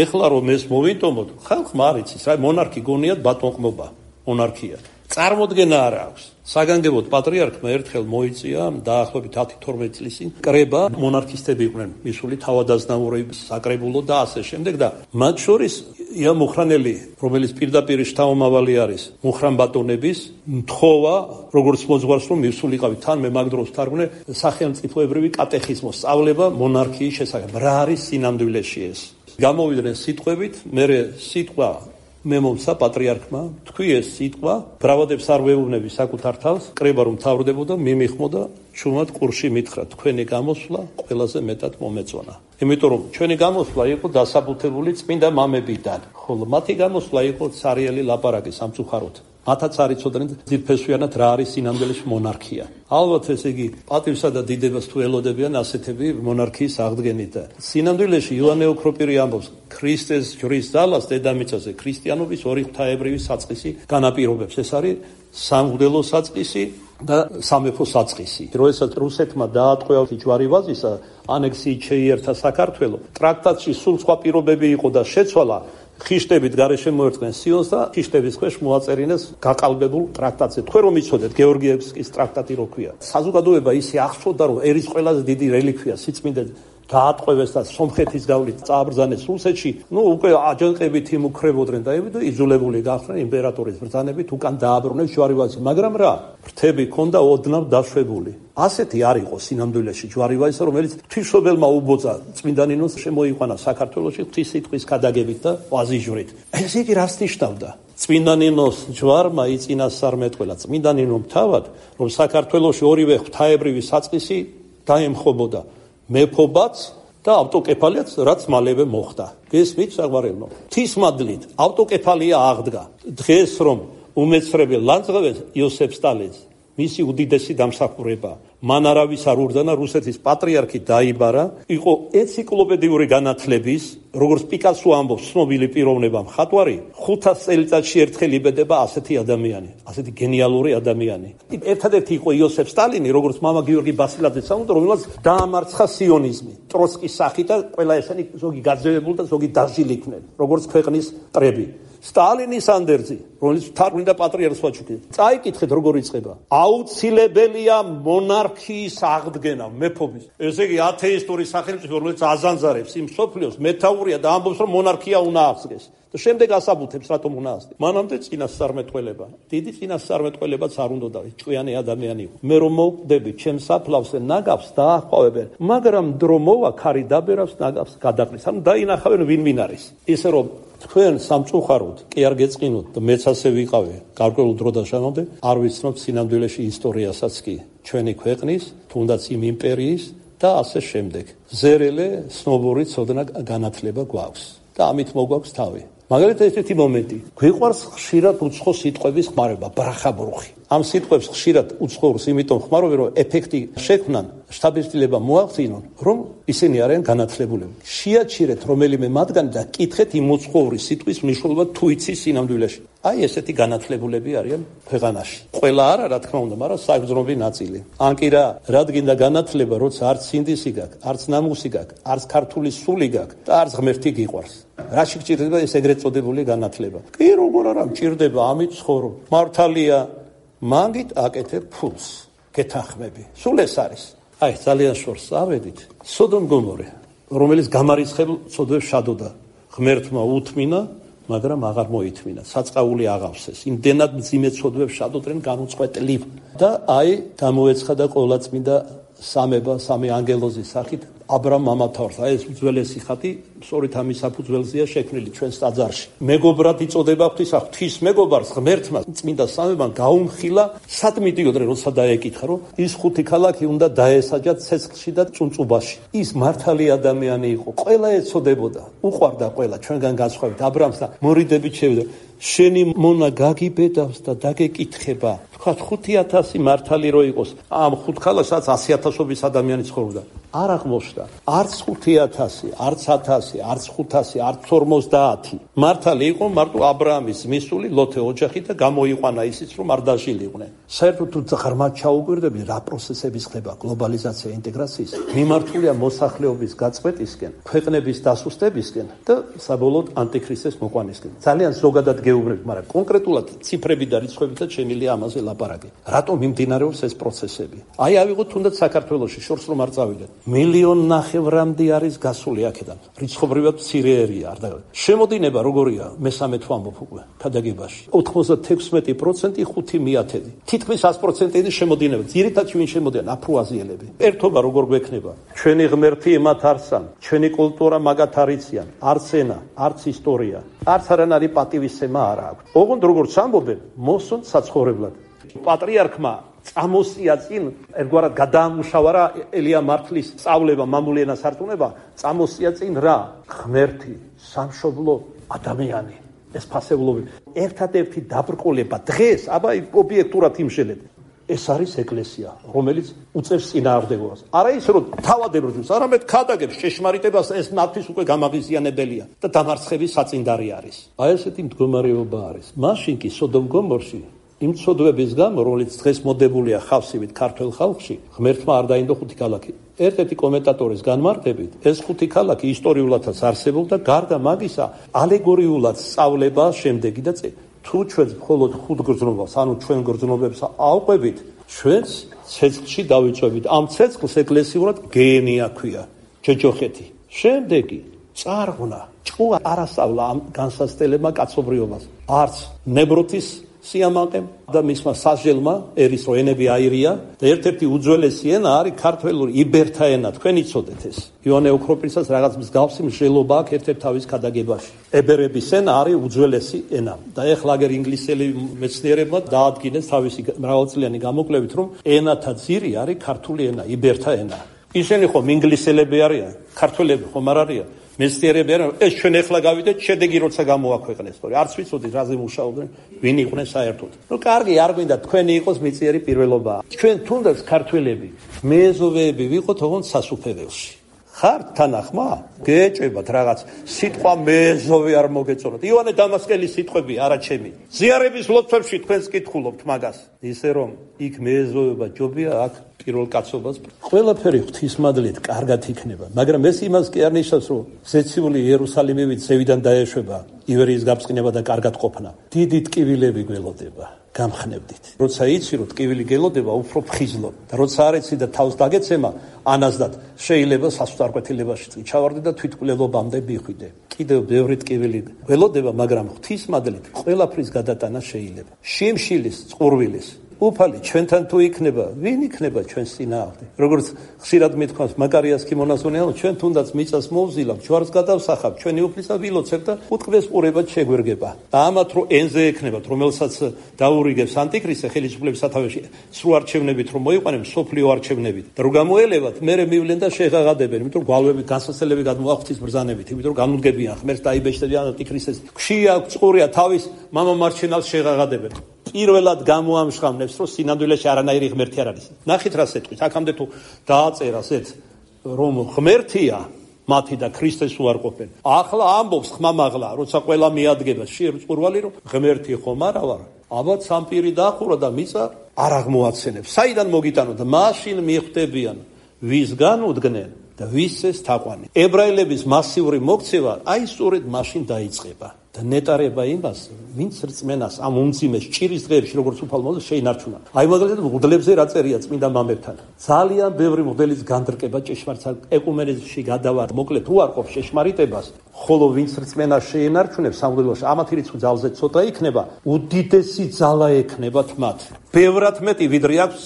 ეხლა რომ ეს მოვინტომოთ, ხალხმა არ იცის, რა მონარქი გონიათ ბატონყმობა, მონარქია. წარმოდგენა არ აქვს. საგანგებოდ პატრიარქმა ერთხელ მოიწია დაახლოებით ათი თორმეტი წლის წინ კრება, მონარქისტები იყვნენ მისული თავადაზნაურების საკრებულო და ასე შემდეგ და მათ შორის ია მუხრანელი, რომელიც პირდაპირ შთამომავალი არის მუხრან ბატონების, მთხოვა, როგორც მოძღვარს რომ მისულიყავი თან მე მაგ დროს თარგმნე სახელმწიფოებრივი კატეხიზმოს სწავლება მონარქიის შესახებ. რა არის სინამდვილეში ეს? გამოვიდნენ სიტყვებით, მერე სიტყვა მე მომცა პატრიარქმა, თქვი ეს სიტყვა, ბრავადებს არ ვეუბნები საკუთარ თავს, კრება რომ თავრდებოდა, მიმიხმოდა, ჩუმად ყურში მითხრა, თქვენი გამოსვლა ყველაზე მეტად მომეწონა. იმიტომ რომ ჩვენი გამოსვლა იყო დასაბუთებული წმინდა მამებიდან, ხოლო მათი გამოსვლა იყო ცარიელი ლაპარაკი სამწუხაროდ. მათაც არ იცოდნენ ძირფესვიანად რა არის სინამდვილეში მონარქია. ალბათ ესე იგი პატივსა და დიდებას თუ ელოდებიან ასეთები მონარქიის აღდგენით და სინამდვილეში იოანე ოქროპირი ამბობს ქრისტეს ჯვრის ძალას დედამიწაზე ქრისტიანობის ორი ღვთაებრივი საწყისი განაპირობებს. ეს არის სამღვდელო საწყისი და სამეფო საწყისი. როდესაც რუსეთმა დაატყვევა ჯვარი ვაზისა, ანექსიით შეიერთა საქართველო, ტრაქტატში სულ სხვა პირობები იყო და შეცვალა ხიშტებით გარეშე მოერწყნენ სიონს და ხიშტების ქვეშ მოაწერინეს გაყალბებულ ტრაქტატზე. თქვენ რომ იცოდეთ გეორგიევსკის ტრაქტატი რო ქვია. საზოგადოება ისე აღწოდა რომ ერის ყველაზე დიდი რელიქვია სიწმინდე გაატყვევეს და სომხეთის გავლით წააბრძანეს რუსეთში, ნუ უკვე აჯანყებით იმუქრებოდნენ და იძულებული გახდნენ იმპერატორის ბრძანებით უკან დააბრუნეს ჯვარივაზი, მაგრამ რა, ფრთები ჰქონდა ოდნავ დაშვებული. ასეთი არ იყო სინამდვილეში ჯვარივაზი, რომელიც ღვთისმშობელმა უბოძა წმინდა ნინოს შემოიყვანა საქართველოში ღვთის სიტყვის გადაგებით და აზიჟვრით. ეს იგი რას ნიშნავდა? წმინდა ნინოს ჯვარმა იწინასწარმეტყველა წმინდა ნინომ თავად, რომ საქართველოში ორივე ღვთაებრივი საწყისი დაემხობოდა. მეფობაც და ავტოკეფალიაც, რაც მალევე მოხდა. გესმით საყვარელო? ღვთისმადლით ავტოკეფალია აღდგა. დღეს რომ უმეცრებელ ლანძღავეს იოსებ სტალინს მისი უდიდესი დამსახურება. მან არავის არ ურდანა, რუსეთის პატრიარქი დაიბარა, იყო ენციკლოპედიური განათლების, როგორც პიკასო ამბობს, ცნობილი პიროვნება მხატვარი, ხუთას წელიწადში ერთხელ იბედება ასეთი ადამიანი, ასეთი გენიალური ადამიანი. ერთადერთი იყო იოსებ სტალინი, როგორც მამა გიორგი ბასილაძე სამუდო, რომელსაც დაამარცხა სიონიზმი, ტროცკის სახით და ყველა ესენი ზოგი გაძევებული და ზოგი დაჟილი იქნენ, როგორც ქვეყნის მტრები. სტალინის ანდერძი, რომელიც თარგმნიდა პატრიარქს ვაჩუკი. წაიკითხეთ როგორ იწყება. აუცილებელია მონარქიის აღდგენა, მეფობის. ესე იგი ათეისტური სახელმწიფო, რომელიც აზანზარებს იმ მსოფლიოს, მეთაურია და ამბობს, რომ მონარქია უნდა აღსგეს. და შემდეგ ასაბუთებს, რატომ უნდა აღსგეს. მანამდე წინასწარმეტყველება. დიდი წინასწარმეტყველებაც არ უნდა, ჭკვიანი ადამიანი იყო. მე რომ მოვკვდები, ჩემს საფლავზე ნაგავს დაახვევებენ, მაგრამ დრო მოვა, ქარი დაბერავს, ნაგავს გადაყრის. ანუ დაინახავენ ვინ ვინ არის. ისე რომ თქვენ სამწუხაროდ კი არ გეწყინოთ და მეც ასე ვიყავი გარკვეულ დრო და შემამდე არ ვიცნობთ სინამდვილეში ისტორიასაც კი ჩვენი ქვეყნის, თუნდაც იმ იმპერიის და ასე შემდეგ. ზერელე ცნობური ცოდნა განათლება გვაქვს და ამით მოგვაქვს თავი. მაგალითად ესეთი მომენტი, გვიყვარს ხშირად უცხო სიტყვების ხმარება, ბრახაბრუხი. ამ სიტყვებს ხშირად უცხოურს იმიტომ ხმარობენ, რომ ეფექტი შექმნან, შთაბეჭდილება მოახდინონ, რომ ისინი არიან განათლებულები. შეაჩერეთ რომელიმე მათგანი და კითხეთ იმ უცხოური სიტყვის მნიშვნელობა თუ იცის სინამდვილეში. აი ესეთი განათლებულები არიან ქვეყანაში. ყველა არა, რა თქმა უნდა, მაგრამ საგრძნობი ნაწილი. ან კი რა, რადგან და განათლება, როცა არც სინდისი გაქვს, არც ნამუსი გაქვს, არც ქართული სული გაქვს და არც ღმერთი გიყვარს. რაში გჭირდება ეს ეგრეთ წოდებული განათლება? კი როგორ არა მჭირდება, ამით ცხოვრობ. მართალია, მაგით აკეთებ ფულს, გეთანხმები. სულ ეს არის. აი, ძალიან შორს ავედით. სოდომ გომორე, რომელიც გამარიცხებულ ცოდვებს შადოდა, ღმერთმა უთმინა, მაგრამ აღარ მოითმინა. საწყაული აღავსეს. იმდენად მძიმე ცოდვებს შადოდნენ განუწყვეტლივ. და აი, გამოეცხადა ყოვლადწმინდა სამება, სამი ანგელოზის სახით აბრამ მამათაურს. აი ეს უძველესი ხატი სწორედ ამის საფუძველზეა შექმნილი ჩვენს ტაძარში. მეგობრად იწოდება ღვთის მეგობარს ღმერთმა წმინდა სამებამ გაუმხილა სად მიდიოდნენ, როცა დაეკითხა, რომ ის ხუთი ქალაქი უნდა დაესაჯათ ცეცხლში და წუნწუბაში. ის მართალი ადამიანი იყო, ყველა ეცოდებოდა, უყვარდა ყველა ჩვენგან განსხვავებით აბრამს და მორიდებით შევიდა. შენი მონა გაგიბედავს და დაგეკითხება. თქვათ ხუთი ათასი მართალი რო იყოს, ამ ხუთ ქალაქსაც ასი ათასობის ადამიანი ცხოვრობდა. არ აღმოჩნდა. არც ხუთი ათასი, არც ათასი, არც ხუთასი, არც ორმოცდაათი. მართალი იყო მარტო აბრაამის მისული ლოთე ოჯახი და გამოიყვანა ისიც, რომ არ დაჟილიყვნენ. საერთოდ თუ ღრმად ჩაუკვირდები, რა პროცესები ხდება გლობალიზაცია, ინტეგრაციის, მიმართულია მოსახლეობის გაწყვეტისკენ, ქვეყნების დასუსტებისკენ და საბოლოოდ ანტიქრისტეს მოყვანისკენ. ძალიან ზოგადად გეუბნებით, მაგრამ კონკრეტულად ციფრები და რიცხვებითაც შემიძლია ამაზე ლაპარაკი. რატომ მიმდინარეობს ეს პროცესები? აი ავიღოთ თუნდაც საქართველოში, შორს რომ არ წავიდეთ. მილიონ ნახევრამდე არის გასული აქედან. რიცხობრივად მცირეერია, არ დაგა. შემოდინება როგორია? მესამე თუ ამბობ უკვე ქადაგებაში. ოცდაექვსმეტი პროცენტი ხუთი მიათედი. თითქმის ას პროცენტი შემოდინება. ძირითადად ვინ შემოდიან? აფრო-აზიელები. ერთობა როგორ გვექნება? ჩვენი ღმერთი მათ არსან, ჩვენი კულტურა მაგათ არიციან, არც ენა, არც ისტორია, არც არანაირი პატივისცემა არ აქვს. ოღონდ როგორც ამბობენ, მოსონ საცხოვრებლად. პატრიარქმა წამოსია წინ, ერთგვარად გადაამუშავა რა ელია მართლის სწავლება, მამული ენას ართუნება, წამოსია წინ რა? ღმერთი, სამშობლო, ადამიანი, ეს ფასეულობი. ერთადერთი დაბრკოლება დღეს, აბა ობიექტურად იმშელეთ. ეს არის ეკლესია, რომელიც უწევს წინააღმდეგობას. არა ის, რომ თავადებებს, არამედ ქადაგებს ჭეშმარიტებას, ეს მათთვის უკვე გამაღიზიანებელია და დამარცხების საწინდარი არის. აი ესეთი მდგომარეობა არის. მაშინ კი სოდომ გომორში იმ ცოდვების გამო, რომელიც დღეს მოდებულია ხავსივით ქართულ ხალხში, ღმერთმა არ დაინდო ხუთი ქალაქი. ერთ-ერთი კომენტატორის განმარტებით, ეს ხუთი ქალაქი ისტორიულადაც არსებობდა, გარდა მაგისა, ალეგორიულად სწავლება შემდეგი და წე. თუ ჩვენს მხოლოდ ხუთ გრძნობას, ანუ ჩვენ გრძნობებს ავყვებით, ჩვენს ცეცხლში დავიწვევით. ამ ცეცხლს ეკლესიურად გენია ქვია. ჯოჯოხეთი. შემდეგი წარღვნა, ჭკუა არასწავლა ამ განსაცდელებმა კაცობრიობას. არც ნებროთის სიამაყემ და მისმა სასჯელმა ერის რო ენები აირია და ერთ-ერთი უძველესი ენა არის ქართველური იბერთა ენა. თქვენ იცოდეთ ეს. იოანე ოქროპირსაც რაღაც მსგავსი მსჯელობა აქვს ერთ-ერთ თავის ქადაგებაში. ებერების ენა არის უძველესი ენა. და ეხლა აგერ ინგლისელი მეცნიერებმა დაადგინეს თავისი მრავალწლიანი გამოკვლევით, რომ ენათა ძირი არის ქართული ენა, იბერთა ენა. ისინი ხომ ინგლისელები არიან, ქართველები ხომ არ არიან? მეცნიერები არიან, ეს ჩვენ ეხლა გავიდეთ, შედეგი როცა გამოაქვეყნეს, თორე არც ვიცოდით რაზე მუშაობდნენ, ვინ იყვნენ საერთოდ. ნუ კარგი, არ გვინდა თქვენი იყოს მიწიერი პირველობა. ჩვენ თუნდაც ქართველები, მეზოვეები ვიყოთ ოღონდ სასუფეველში. ხართ თანახმა? გეჭებათ რაღაც სიტყვა მეზოვე არ მოგეწონათ. ივანე დამასკელის სიტყვები არა ჩემი. ზიარების ლოცვებში თქვენს კითხულობთ მაგას. ისე რომ იქ მეზოვება ჯობია, აქ პირველ კაცობას ყველაფერი ღვთისმადლით კარგად იქნება, მაგრამ ეს იმას კი არ ნიშნავს, რომ ზეციური იერუსალიმივით ზევიდან დაეშვება ივერიის გაბწყინება და კარგად ყოფნა. დიდი ტკივილები გველოდება, გამხნევდით. როცა იცი, რომ ტკივილი გელოდება, უფრო ფხიზლო და როცა არ იცი და თავს დაგეცემა, ანაზდად შეიძლება სასწარკვეთილებაში წიჩავარდე და თვითკვლელობამდე მიხვიდე. კიდევ ბევრი ტკივილი გველოდება, მაგრამ ღვთისმადლით ყველაფრის გადატანა შეიძლება. შიმშილის, წყურვილის უფალი ჩვენთან თუ იქნება, ვინ იქნება ჩვენს წინააღმდეგ? როგორც ხშირად მithქვას მაკარიას ქიმონაზონეა, ჩვენ თუნდაც მიწას მოვზილავთ, ჯვარს გადავსახავთ, ჩვენი უფლისა ვილოცებთ და უთქმეს ყურებად შეგვერგება. და ამათ რო ენზე ექნებათ, რომელსაც დაურიგებს ანტიქრისტე ხელისუფლების სათავეში, სრულ არჩევნებით რომ მოიყვანენ, სოფლიო არჩევნებით. და რო გამოელევათ, მერე მივლენ და შეღაღადებენ, იმიტომ რომ გვალვები განსაცდელები გადმოახვთის ბრძანებით, იმიტომ რომ განუდგებიან ღმერთს დაიბეჭდებიან ანტიქრისტეს. გშია გწყურია თავის მამა მარჩენალს შეღაღადებენ. პირველად გამოამშღავნებს, რომ სინამდვილეში არანაირი ღმერთი არ არის. ნახით რა სიტყვით, აქამდე თუ დააწერას ეს, რომ ღმერთია მათი და ქრისტეს უარყოფენ. ახლა ამბობს ხმამაღლა, როცა ყველა მიადგება შიერ წყურვალი, რომ ღმერთი ხომ არა ვარ. აბა სამპირი დაახურა და მიწა არ აღმოაცენებს. საიდან მოგიტანო და მაშინ მიხვდებიან, ვისგან უდგნენ და ვისეს თაყვანი. ებრაელების მასიური მოქცევა აი სწორედ მაშინ დაიწყება. და ნეტარება იმას, ვინც რწმენას ამ უმძიმეს ჭირის დღეებში, როგორც უფალ მოზეს შეინარჩუნა. აი მაგალითად მღვდლებზე რა წერია წმინდა მამებთან. ძალიან ბევრი მღვდლის განდრკება ჭეშმარიტ ეკუმენიზმში გადავარ, მოკლედ უარყოფს ჭეშმარიტებას, ხოლო ვინც რწმენას შეინარჩუნებს სამღვდელოში, ამათი რიცხვი ძალზე ცოტა იქნება, უდიდესი ძალა ექნებათ მათ. ბევრად მეტი ვიდრე აქვს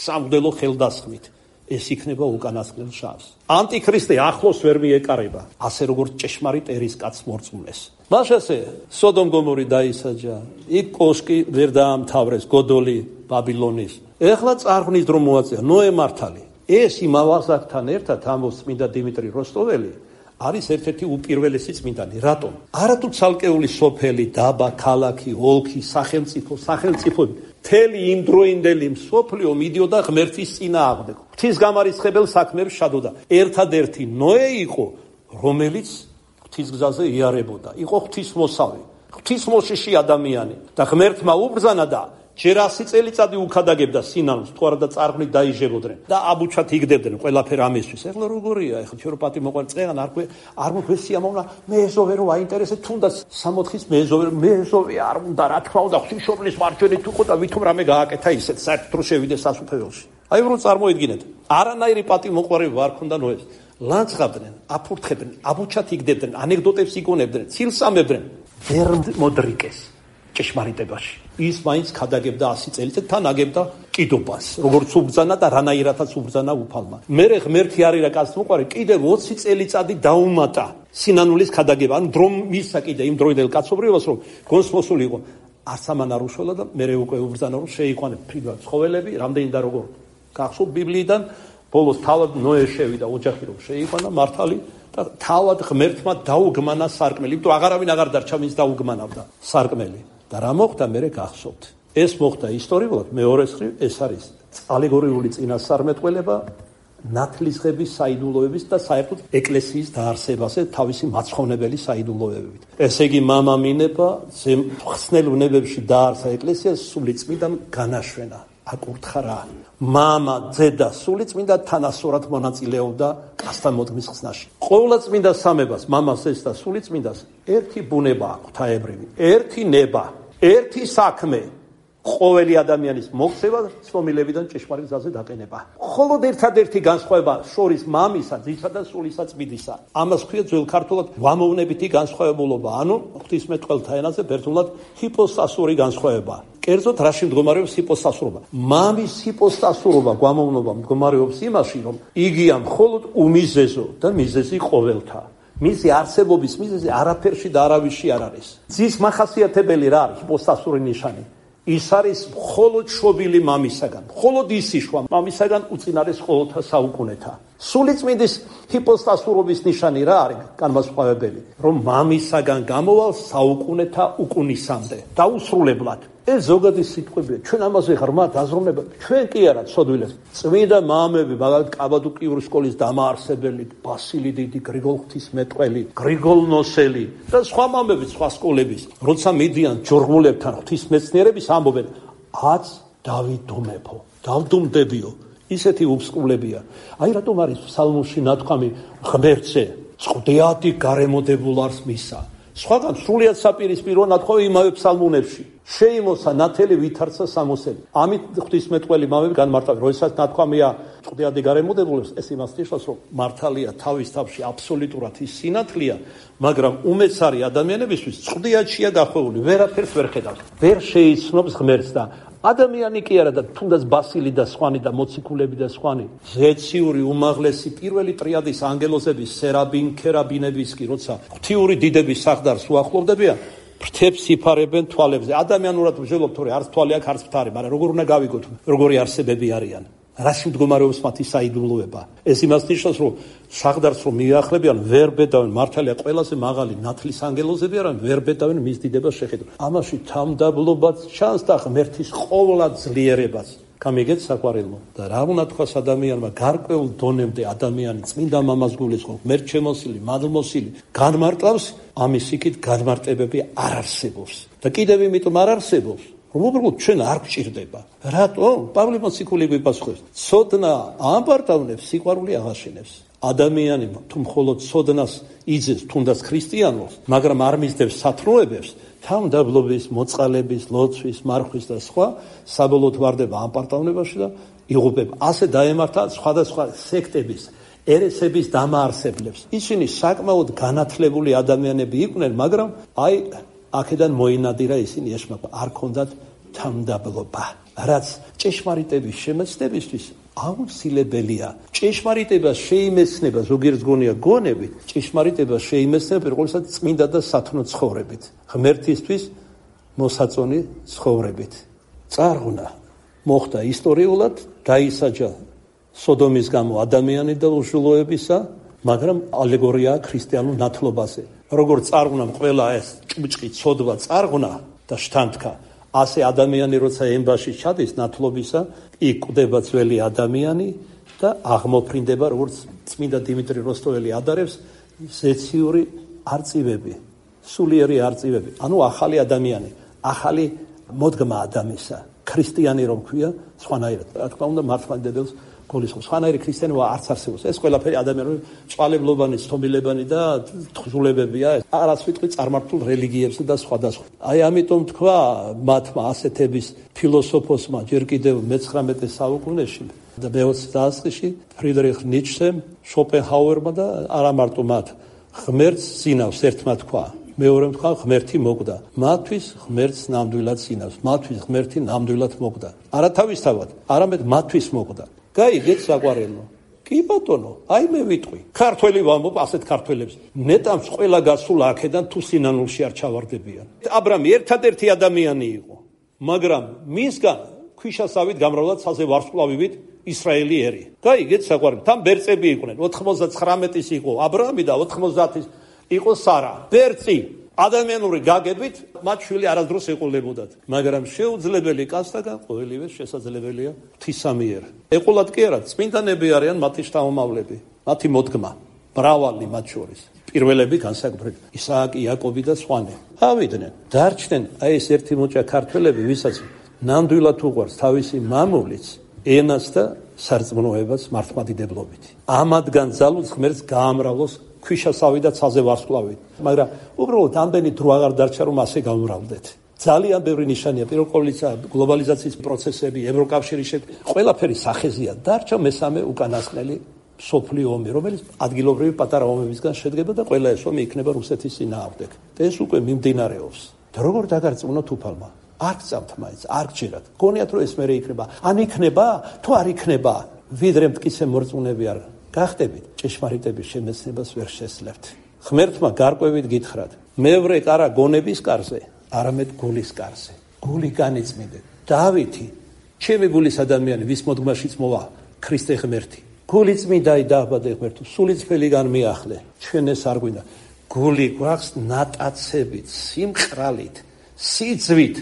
სამღვდელო ხელდასხმით. ეს იქნება უკანასკნელ შავს. ანტიქრისტე ახლოს ვერ მიეკარება, ასე როგორც ჭეშმარიტ ერის კაცს მორწმუნეს. მაშასე სოდომ გომორი დაისაჯა, იქ კოშკი ვერ დაამთავრეს, გოდოლი ბაბილონის. ეხლა წარღვნის დრო მოაწია ნოე მართალი. ეს იმავაზაკთან ერთად ამბობს წმინდა დიმიტრი როსტოველი, არის ერთ-ერთი უპირველესი წმინდანი. რატომ? არათუ ცალკეული სოფელი, დაბა, ქალაქი, ოლქი, სახელმწიფო, სახელმწიფოები მთელი იმდროინდელი მსოფლიო მიდიოდა ღმერთის წინააღმდეგ. ღვთისგამარისხებელ საქმეებს შადოდა. ერთადერთი ნოე იყო, რომელიც ღვთისგზაზე იარებოდა. იყო ღვთისმოსავი, ღვთისმოშიში ადამიანი და ღმერთმა უბრძანა და ჯერ ასი წელიწადი უქადაგებდა სინანულს, თუ არა და წარღვნით დაიჟებოდნენ და აბუჩად იგდებდნენ ყველაფერ ამისთვის. ეხლა როგორია, ეხლა ჩვენ რო პატი მოყვარ წეღან არ არ მოგვესია მოუნა მეზოვე რო აინტერესებს, თუნდაც სამოთხის მეზოვე, მეზოვე არ უნდა, რა თქმა უნდა, ღვთისმშობლის მარჯვენით უყო და ვითომ რამე გააკეთა ისეთ საერთოდ რო შევიდეს სასუფეველში. აი რომ წარმოიდგინეთ, არანაირი პატი მოყვარები ვარ ქონდა ნოეს. ლანძღავდნენ, აფურთხებდნენ, აბუჩად იგდებდნენ, ანეკდოტებს იგონებდნენ, ცილს ამებდნენ, ვერ მოდრიკეს ჭეშმარიტებაში. ის მაინც ქადაგებდა ასი წელიწად, თან აგებდა კიდობას, როგორც უბრძანა და რანაირადაც უბრძანა უფალმა. მერე ღმერთი არირა კაცს მოყვარე, კიდევ ოცი წელიწადი დაუმატა სინანულის ქადაგება. ანუ დრო მისცა კიდე იმ დროინდელ კაცობრიობას, რომ გონსმოსული იყო. არც ამან არ უშველა და მერე უკვე უბრძანა, რომ შეიყვანებ ფრიდვან ცხოველები, რამდენი და როგორ გახსოვთ ბიბლიიდან, ბოლოს თავად ნოე შევიდა ოჯახი, რომ შეიყვანა მართალი და თავად ღმერთმა დაუგმანა სარკმელი. იმიტომ აღარავინ აღარ დარჩა, ვინც დაუგმანავდა სარკმელი. და რა მოხდა მერე გახსოვთ. ეს მოხდა ისტორიულად, მეორეს მხრივ ეს არის ალეგორიული წინასწარმეტყველება ნათლისღების საიდუმლოების და საერთოდ ეკლესიის დაარსებაზე თავისი მაცხოვნებელი საიდუმლოებით. ესე იგი მამა მინება ხსნელ ვნებებში დაარსა ეკლესიას, სული წმიდა განაშვენა, აკურთხა რა. მამა, ძედა, სული წმინდა თანასწორად მონაწილეობდა კაცთან მოდგმის ხსნაში. ყოვლადწმინდა სამებას, მამას ეს და სული წმინდას ერთი ბუნება აქვს ღვთაებრივი, ერთი ნება, ერთი საქმე, ყოველი ადამიანის მოქცევა ცნობილებიდან ჭეშმარიტ გზაზე დაყენება. მხოლოდ ერთადერთი განსხვავება შორის მამისა, ძისა და სულისა წმინდისა. ამას ქვია ძველ ქართულად ვამოვნებითი განსხვავებულობა, ანუ ღვთისმეტყველთა ენაზე ბერძნულად ჰიპოსტასური განსხვავება. კერძოდ რაში მდგომარეობს ჰიპოსტასურობა? მამის ჰიპოსტასურობა გვამოვნობა მდგომარეობს იმაში, რომ იგია მხოლოდ უმიზეზო და მიზეზი ყოველთა. მისი არსებობის მიზეზი არაფერში და არავისში არ არის. ძის მახასიათებელი რა არის ჰიპოსტასური ნიშანი? ის არის მხოლოდ შობილი მამისაგან, მხოლოდ ისიშვა მამისაგან უწინარეს ყოველთა საუკუნეთა. სულიწმინდის ჰიპოსტასურობის ნიშანი რა არის? განმასხვავებელი, რომ მამისაგან გამოვალ საუკუნეთა უკუნისამდე, დაუსრულებლად. ეს ზოგადი სიტყვებია, ჩვენ ამაზე ღრმა დაზროვნება, ჩვენ კი არა ცოდვილებს. წმინდა მამები, მაგალითად კაბადოკიური სკოლის დამაარსებელი, ბასილი დიდი, გრიგოლ ღვთისმეტყველი, გრიგოლ ნოსელი და სხვა მამები, სხვა სკოლების, როცა მიდიან ჯორღმულებთან ღვთისმეცნიერების ამბობენ, აც დავიდუმებო, დავდუმდებიო. ისეთი უბსკულებია. აი რატომ არის ფსალმუნში ნათქვამი ღმერთზე, წვდეადი გარემოდებულარს მისა. სხვაგან სრულიად საპირისპირო ნათქვამი იმავე ფსალმუნებში. შეიმოსა ნათელი ვითარცა სამოსელი. ამით ღვთისმეტყველი მამები განმარტავენ, როდესაც ნათქვამია წვდეადი გარემოდებულებს, ეს იმას ნიშნავს, რომ მართალია თავის თავში აბსოლუტურად ის სინათლეა, მაგრამ უმეცარი ადამიანებისთვის წვდეადშია გახვეული, ვერაფერს ვერ ხედავს, ვერ შეიცნობს ღმერთს და ადამიანი კი არა და თუნდაც ბასილი და სხვანი და მოციქულები და სხვანი ზეციური უმაღლესი პირველი ტრიადის ანგელოზების სერაბინ ქერაბინების კი როცა ღვთიური დიდების სახლდარს უახლოვდებიან ფრთებს იფარებენ თვალებზე ადამიანურად ვჟელობთ თორე არც თვალი აქვს არც ფთარი მაგრამ როგორ უნდა გავიგოთ როგორი არსებები არიან რაში მდგომარეობს მათი საიდუმლოება ეს იმას ნიშნავს რომ სახლდარს რომ მიახლebიან ვერ ბედავენ მართალია ყველაზე მაღალი ნათლის ანგელოზები არიან ვერ ბედავენ მის დიდებას შეხედავენ ამაში თამდაბლობაც ჩანს და ღმერთის ყოვლა ძლიერებაც გამიგეთ საყვარელო და რა უნდა თქვას ადამიანმა გარკვეულ დონემდე ადამიანი წმინდა მამას გულისხმობს ღმერთ შემოსილი მადლმოსილი განმარტავს ამის იქით განმარტებები არ არსებობს და კიდევ იმიტომ არ არსებობს რომ უბრალოდ ჩვენ არ გვჭირდება. რატო? პავლე მოციქული გვიპასუხებს. ცოდნა ამპარტავნებს, სიყვარული აღაშენებს. ადამიანი თუ მხოლოდ ცოდნას იძეს, თუნდაც ქრისტიანობს, მაგრამ არ მისდევს სათნოებებს, თავმდაბლობის, მოწყალების, ლოცვის, მარხვის და სხვა, საბოლოოდ ვარდება ამპარტავნებაში და იღუპება. ასე დაემართა სხვადასხვა სექტების, ერესების დამაარსებლებს. ისინი საკმაოდ განათლებული ადამიანები იყვნენ, მაგრამ აი აქედან მოინადირა ისინი ეშმაკვა არ ქონდათ თამდაბლობა რაც ჭეშმარიტების შემეცნებისთვის აუცილებელია ჭეშმარიტება შეიმეცნება ზოგიერთ გონია გონებით ჭეშმარიტება შეიმეცნება პირველად წმინდა და სათნო ცხოვრებით ღმერთისთვის მოსაწონი ცხოვრებით წარღვნა მოხდა ისტორიულად დაისაჯა სოდომის გამო ადამიანი და უშულოებისა მაგრამ ალეგორიაა ქრისტიანულ ნათლობაზე როგორც წარღვნამ ყველა ეს ჭუჭყი ცოდვა წარღვნა და შთანთქა ასე ადამიანი როცა ემბაში ჩადის ნათლობისა იქ კვდება ძველი ადამიანი და აღმოფრინდება როგორც წმინდა დიმიტრი როსტოველი ადარებს ზეციური არწივები სულიერი არწივები ანუ ახალი ადამიანი ახალი მოდგმა ადამიანისა ქრისტიანი რომ ქვია სხვანაირად რა თქმა უნდა მართლმადიდებელს გულისხმობს. სხვანაირი ქრისტიანობა არც არსებობს. ეს ყველაფერი ადამიანური წვალებლობანი, ცნობილებანი და თხზულებებია. არას ვიტყვი წარმართულ რელიგიებს და სხვადასხვა. აი ამიტომ თქვა მათმა ასეთების ფილოსოფოსმა ჯერ კიდევ მეცხრამეტე საუკუნეში და მეოცე დასაწყისში ფრიდრიხ ნიცშემ, შოპენჰაუერმა და არა მარტო მათ ღმერთს ზინავს ერთმა თქვა. მეორემ თქვა ღმერთი მოგდა. მათთვის ღმერთს ნამდვილად ზინავს. მათთვის ღმერთი ნამდვილად მოგდა. არა თავისთავად, არამედ მათთვის მოგდა. გაიგეთ საყვარელო. კი ბატონო, აი მე ვიტყვი. ქართველი ვამბობ ასეთ ქართველებს. ნეტამს ყველა გასულ აქედან თუ სინანულში არ ჩავარდებიან. აბრამი ერთადერთი ადამიანი იყო, მაგრამ მისგან ქვიშასავით გამრავლად საზე ვარსკვლავივით ისრაელი ერი. გაიგეთ საყვარელო. თან ბერწები იყვნენ. ოთხმოცდათხრამეტის იყო აბრამი და ოთხმოცდათის იყო სარა. ბერწი ადამიანური გაგებით მათ შვილი არასდროს ეყოლებოდათ, მაგრამ შეუძლებელი კაცთაგან ყოველივე შესაძლებელია ღვთისამიერ. ეყოლათ კი არა, წმინდანები არიან მათი შთამომავლები, მათი მოდგმა, მრავალი მათ შორის. პირველები განსაკუთრებით ისააკი, იაკობი და სხვანი. ავიდნენ, დარჩნენ აი ეს ერთი მოჭა ქართველები, ვისაც ნამდვილად უყვარს თავისი მამულიც, ენას და სარწმუნოებას მართლმადიდებლობით. ამადგან ძალუც ღმერთს გაამრავლოს ქვიშასავი და ცაზე ვარსკვლავით. მაგრამ უბრალოდ ამდენი დრო აღარ დარჩა რომ ასე გამრავლდეთ. ძალიან ბევრი ნიშანია, პირველ ყოვლისა გლობალიზაციის პროცესები, ევროკავშირის ყველაფერი სახეზია. დარჩა მესამე უკანასკნელი მსოფლიო ომი, რომელიც ადგილობრივი პატარა ომებისგან შედგება და ყველა ეს ომი იქნება რუსეთის წინააღმდეგ. ეს უკვე მიმდინარეობს. და როგორ დაგარწმუნოთ უფალმა? არ გწამთ მაინც, არ გჯერათ. გონიათ რომ ეს მერე იქნება, ან იქნება, თუ არ იქნება, ვიდრე მტკიცე მორწმუნეები არ გახდებით, ჭეშმარიტების შემეცნებას ვერ შესძლებთ. ღმერთმა გარკვევით გითხრათ, მევრე კარა გონების კარზე, არამედ გულის კარზე. გული განიწმინდეთ. დავითი, ჩემი გულის ადამიანი, ვის მოდგმაშიც მოვა ქრისტე ღმერთი. გული წმინდაი დააბადე ღმერთო, სულიწფელიდან მიახლე. ჩვენ ეს არ გვინდა. გული გვაქვს ნატაცებით, სიმყრალით, სიძვით,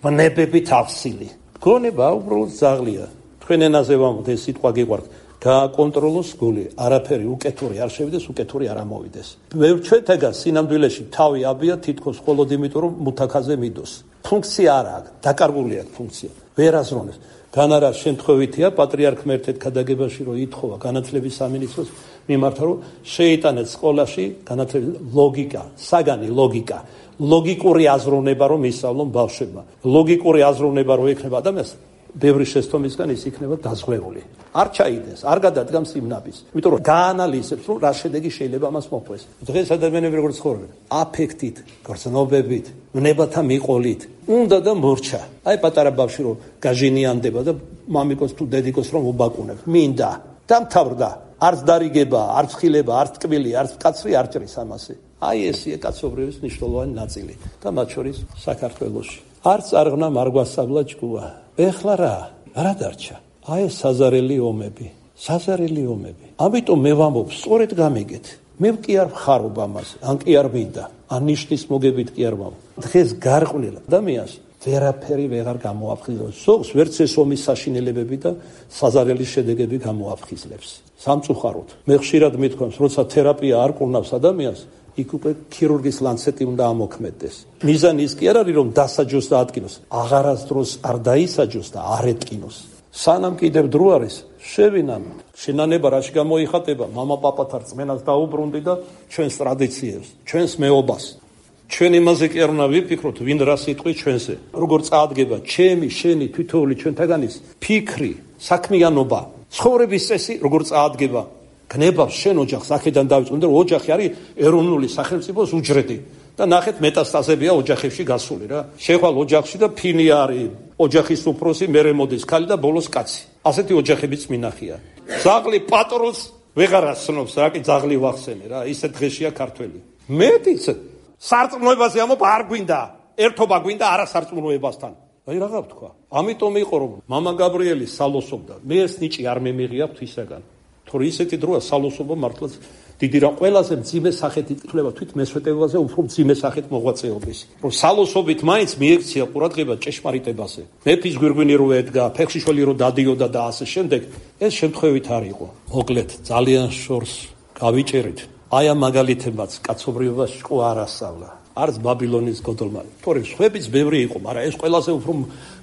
ვნებებით ავსილი. გონება უბრალოდ ძაღლია. თქვენ ენაზე ვამბობთ, ეს სიტყვა გიყვართ. გააკონტროლოს გული, არაფერი უკეთური არ შევიდეს, უკეთური არ ამოვიდეს. ბევრ ჩვენთაგან სინამდვილეში თავი აბია თითქოს მხოლოდ იმიტომ, რომ მუთაქაზე მიდოს. ფუნქცია არ აქვს, დაკარგული აქვს ფუნქცია. ვერ აზროვნებს. განარა შემთხვევითია პატრიარქ მერთეთ ქადაგებაში რომ ითხოვა განათლების სამინისტროს მიმართა რომ შეიტანეთ სკოლაში განათლების ლოგიკა, საგანი ლოგიკა, ლოგიკური აზროვნება რომ ისწავლონ ბავშვებმა. ლოგიკური აზროვნება რომ ექნება ადამიანს ბევრი შეცდომისგან ის იქნება დაზღვეული. არ ჩაიდეს, არ გადადგამს იმ ნაბის. იმიტომ რომ გაანალიზებს, რომ რა შედეგი შეიძლება მას მოყვეს. დღეს ადამიანები როგორ ცხოვრობენ? აფექტით, გრძნობებით, ვნებათა მიყოლით. უნდა და მორჩა. აი პატარა ბავშვი რომ გაჟინიანდება და მამიკოს თუ დედიკოს რომ უბაკუნებს. მინდა, დამთავრდა. არც დარიგება, არც ხილება, არც ტკბილი, არც კაცრი არ ჭრის ამასე. აი ესია კაცობრიობის მნიშვნელოვანი ნაწილი და მათ შორის საქართველოში. არც არღნა არ გვასწავლა ჭკუა. ეხლა რა? რა დარჩა? აი ეს საზარელი ომები, საზარელი ომები. ამიტომ მე ვამბობ, სწორედ გამიგეთ. მე კი არ ვხარობ ამას, ან კი არ მინდა, ან ნიშნის მოგებით კი არ ვამბობ. დღეს გარყვნილ ადამიანს ვერაფერი ვეღარ გამოაფხიზლებს. სოხს ვერც ეს ომის საშინელებები და საზარელი შედეგები გამოაფხიზლებს. სამწუხაროდ, მე ხშირად მithქვამს, როცა თერაპია არ კურნავს ადამიანს, იქ უკვე ქირურგის ლანცეტი უნდა ამოქმედდეს. მიზანი ის კი არ არის, რომ დასაჯოს და ატკინოს. აღარასდროს არ დაისაჯოს და არ ეტკინოს. სანამ კიდევ დრო არის, შევინანოთ. შინანება რაში გამოიხატება? მამა პაპათა რწმენას დაუბრუნდი და ჩვენს ტრადიციებს, ჩვენს მეობას. ჩვენ იმაზე კი არ უნდა ვიფიქროთ, ვინ რა სიტყვი ჩვენზე. როგორ წაადგება ჩემი, შენი, თითოეული ჩვენთაგანის ფიქრი, საქმიანობა, ცხოვრების წესი, როგორ წაადგება. გნებავს შენ ოჯახს, აქედან დავიწყო, რომ ოჯახი არის ეროვნული სახელმწიფოს უჯრედი და ნახეთ მეტასტაზებია ოჯახებში გასული რა. შეხვალ ოჯახში და ფინი არის ოჯახის უფროსი, მერე მოდის ქალი და ბოლოს კაცი. ასეთი ოჯახებიც მინახია. ძაღლი პატრონს ვეღარ ასწნობს, რა კი ძაღლი ვახსენე რა, ისე დღეშია ქართველი. მეტიც სარწმუნოებაზე ამობ არ გვინდა, ერთობა გვინდა არა სარწმუნოებასთან. აი რა გავთქვა. ამიტომ იყო რომ მამა გაბრიელი სალოსობდა. მე ეს ნიჭი არ მემიღია თვისაგან. თორე ისეთი დროა სალოსობა მართლაც დიდი რა ყველაზე მძიმე სახით ითვლება თვით მესვეტებაზე უფრო მძიმე სახით მოღვაწეობის. რომ სალოსობით მაინც მიექცია ყურადღება ჭეშმარიტებაზე. მეფის გვირგვინი რო ედგა, ფეხშიშველი რო დადიოდა და ასე შემდეგ, ეს შემთხვევით არ იყო. მოკლედ ძალიან შორს გავიჭერით. აი ამ მაგალითებაც კაცობრიობაში ყო არ ასწავლა. არც ბაბილონის გოდოლმა. თორე სხვებიც ბევრი იყო, მაგრამ ეს ყველაზე უფრო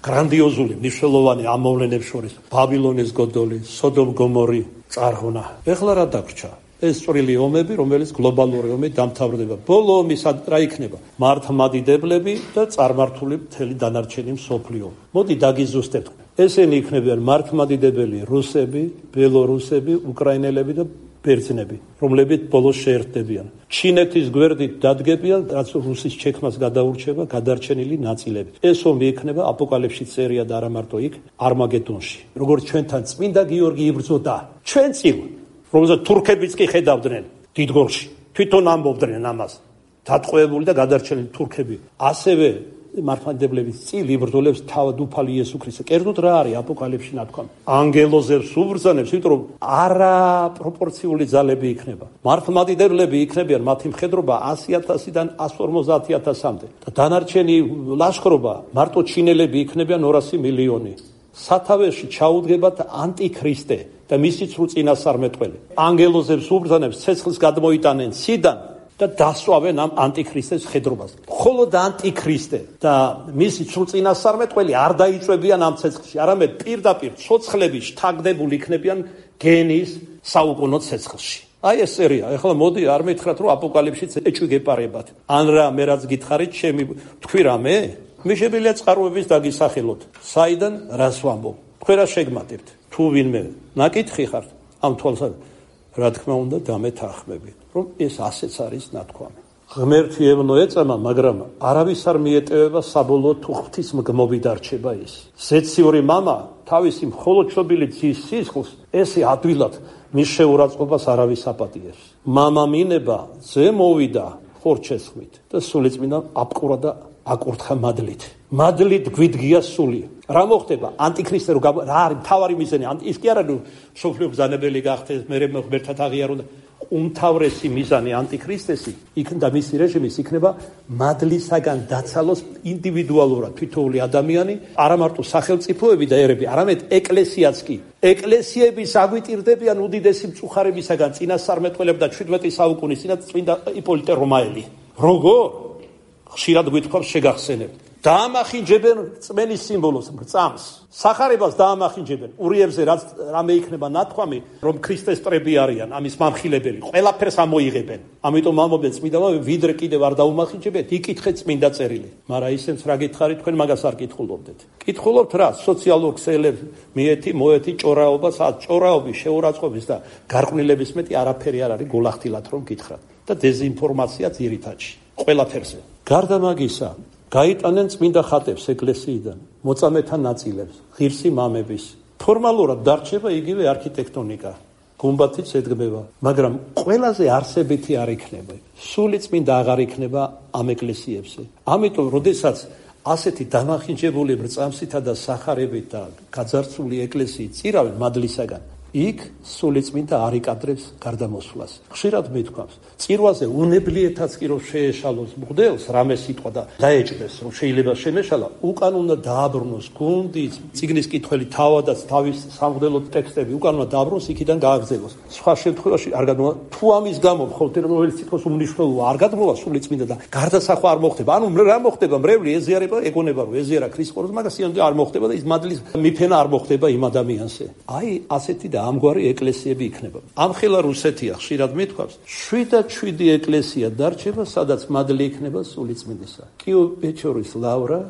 გრანდიოზული, მნიშვნელოვანი ამ მოვლენებს შორის ბაბილონის გოდოლი, სოდომ გომორი წარღვნა. ეხლა რა დაგვრჩა? ეს წვრილი ომები, რომელიც გლობალური ომი დამთავრდება. ბოლო ომი რა იქნება? მართლმადიდებლები და წარმართული მთელი დანარჩენი მსოფლიო. მოდი დაგიზუსტებთ. ესენი იქნებიან მართლმადიდებელი რუსები, ბელორუსები, უკრაინელები და ბერძნები, რომლებიც ბოლოს შეერთდებიან. ჩინეთის გვერდით დადგებიან, რაც რუსის ჩექმას გადაურჩება გადარჩენილი ნაწილები. ეს ომი იქნება აპოკალიფსის წერია და არა მარტო იქ, არმაგედონში. როგორც ჩვენთან წმინდა გიორგი იბრძოდა, ჩვენ წინ, რომელსაც თურქებიც კი ხედავდნენ დიდგორში. თვითონ ამბობდნენ ამას. დატყვევებული და გადარჩენილი თურქები. ასევე მართლმადიდებლების წილ იბრძოლებს თავად უფალი იესო ქრისტე. კერძოდ რა არის აპოკალიფსში ნათქვამი? ანგელოზებს უბრძანებს, იმიტომ რომ არა პროპორციული ძალები იქნება. მართლმადიდებლები იქნებიან მათი მხედრობა ასი ათასიდან ასს ორმოცდაათი ათასამდე. და დანარჩენი ლაშქრობა მარტო ჩინელები იქნებიან ორასი მილიონი. სათავეში ჩაუდგებათ ანტიქრისტე და მისი ცრუ წინასწარმეტყველი. ანგელოზებს უბრძანებს ცეცხლს გადმოიტანენ ციდან და დასვავენ ამ ანტიქრისტეს ხედრობას. მხოლოდ ანტიქრისტე და მისი ცრუ წინასწარმეტყველი არ დაიწვევიან ამ ცეცხლში, არამედ პირდაპირ ცოცხლები შთაგდებულ იქნებიან გენის საუკუნო ცეცხლში. აი ეს სერია. ეხლა მოდი არ მითხრათ რომ აპოკალიფსიც ეჭვი გეპარებათ. ან რა მე რაც გითხარით, ჩემი თქვი რამე? მე შემიძლია წყაროების დაგისახელოთ. საიდან რას ვამბობ? თქვენ რა შეგმატებთ? თუ ვინმე ნაკითხი ხართ ამ თვალსაზრისით, რა თქმა უნდა დამეთანხმებით, რომ ეს ასეც არის ნათქვამი. ღმერთი ევნო ეწამა, მაგრამ არავის არ მიეტევება საბოლოოდ თუ ღვთის მგმობი დარჩება ის. ზეციური მამა თავისი მხოლოდ შობილი ძის სისხლს ესე ადვილად მის შეურაცხყოფას არავის აპატიებს. მამა მინება ზე მოვიდა ხორჩესხმით და სულიწმინდა აპყურა და აკურთხა მადლით. მადლით გვიდგია სული. რა მოხდება? ანტიქრისტე რო რა არის მთავარი მიზანი? ის კი არა რომ სოფლიო ბრძანებელი გახდეს, მე ღმერთად აღიარონ და უმთავრესი მიზანი ანტიქრისტესი იქნება მისი რეჟიმის იქნება მადლისაგან დაცალოს ინდივიდუალურად თითოეული ადამიანი, არა მარტო სახელმწიფოები და ერები, არამედ ეკლესიაც კი. ეკლესიების აგვიტირდებიან უდიდესი მწუხარებისაგან წინასწარმეტყველები და შვიდმეტი საუკუნის წინა წმინდა იპოლიტე რომაელი. როგორ? ხშირად გვითხოვს შეგახსენებთ. დაამახინჯებენ წმენის სიმბოლოს, მრწამს. სახარებას დაამახინჯებენ. ურიებზე რაც რამე იქნება ნათქვამი, რომ ქრისტეს ტრები არიან, ამის მამხილებელი, ყველაფერს ამოიღებენ. ამიტომ ამობენ წმინდამა, ვიდრე კიდევ არ დაუმახინჯებეთ, იკითხეთ წმინდა წერილი. მაგრამ ისენს რა გითხარით, თქვენ მაგას არ კითხულობდეთ. კითხულობთ რა? სოციალურ ქსელებს, მიეთი, მოეთი, ჭორაობას, ჭორაობის, შეურაცხყოფის და გარყვნილების მეტი არაფერი არ არის გულახდილად რომ გითხრათ. და დეზინფორმაცია ძირითადში, ყველაფერზე. გარდა მაგისა, გაიტანენ წმინდა ხატებს ეკლესიიდან, მოწამეთა ნაწილებს, ღირსი მამების. ფორმალურად დარჩება იგივე არქიტექტონიკა, გუმბათიც ედგმება, მაგრამ ყველაზე არსებითი არ იქნება. სული წმინდა აღარ იქნება ამ ეკლესიებზე. ამიტომ, როდესაც ასეთი დამახინჯებული მრწამსითა და სახარებით და გაძარცული ეკლესიით წირავენ მადლისაგან, იქ სული წმინდა არ იკადრებს გარდამოსვლას. ხშირად მithქვამს, წირვაზე უნებლიეთაც კი რომ შეეშალოს მღვდელს რამე სიტყვა და დაეჭდეს რომ შეიძლება შემეშალა, უკან უნდა დააბრუნოს გუნდიც, წიგნის კითხველი თავადაც თავის სამღვდელო ტექსტები უკან უნდა დააბრუნოს, იქიდან გააგრძელოს. სხვა შემთხვევაში არ გადმოვა, თუ ამის გამო მხოლოდ რომელიც სიტყვის უმნიშვნელოა არ გადმოვა სული წმინდა და გარდასახვა არ მოხდება. ანუ რა მოხდება? მრევლი ეზიარება, ეგონება რომ ეზიარა ქრისტეს, მაგას არ მოხდება და ის მადლის მიფენა არ მოხდება იმ ადამიანზე. აი ასეთი და ამგვარი ეკლესიები იქნება. ამხელა რუსეთია ხშირად მithქვამს, შვიდად შვიდი ეკლესია დარჩება, სადაც მადლი იქნება სულიწმინდისა. კიო-პეჩორის ლავრა,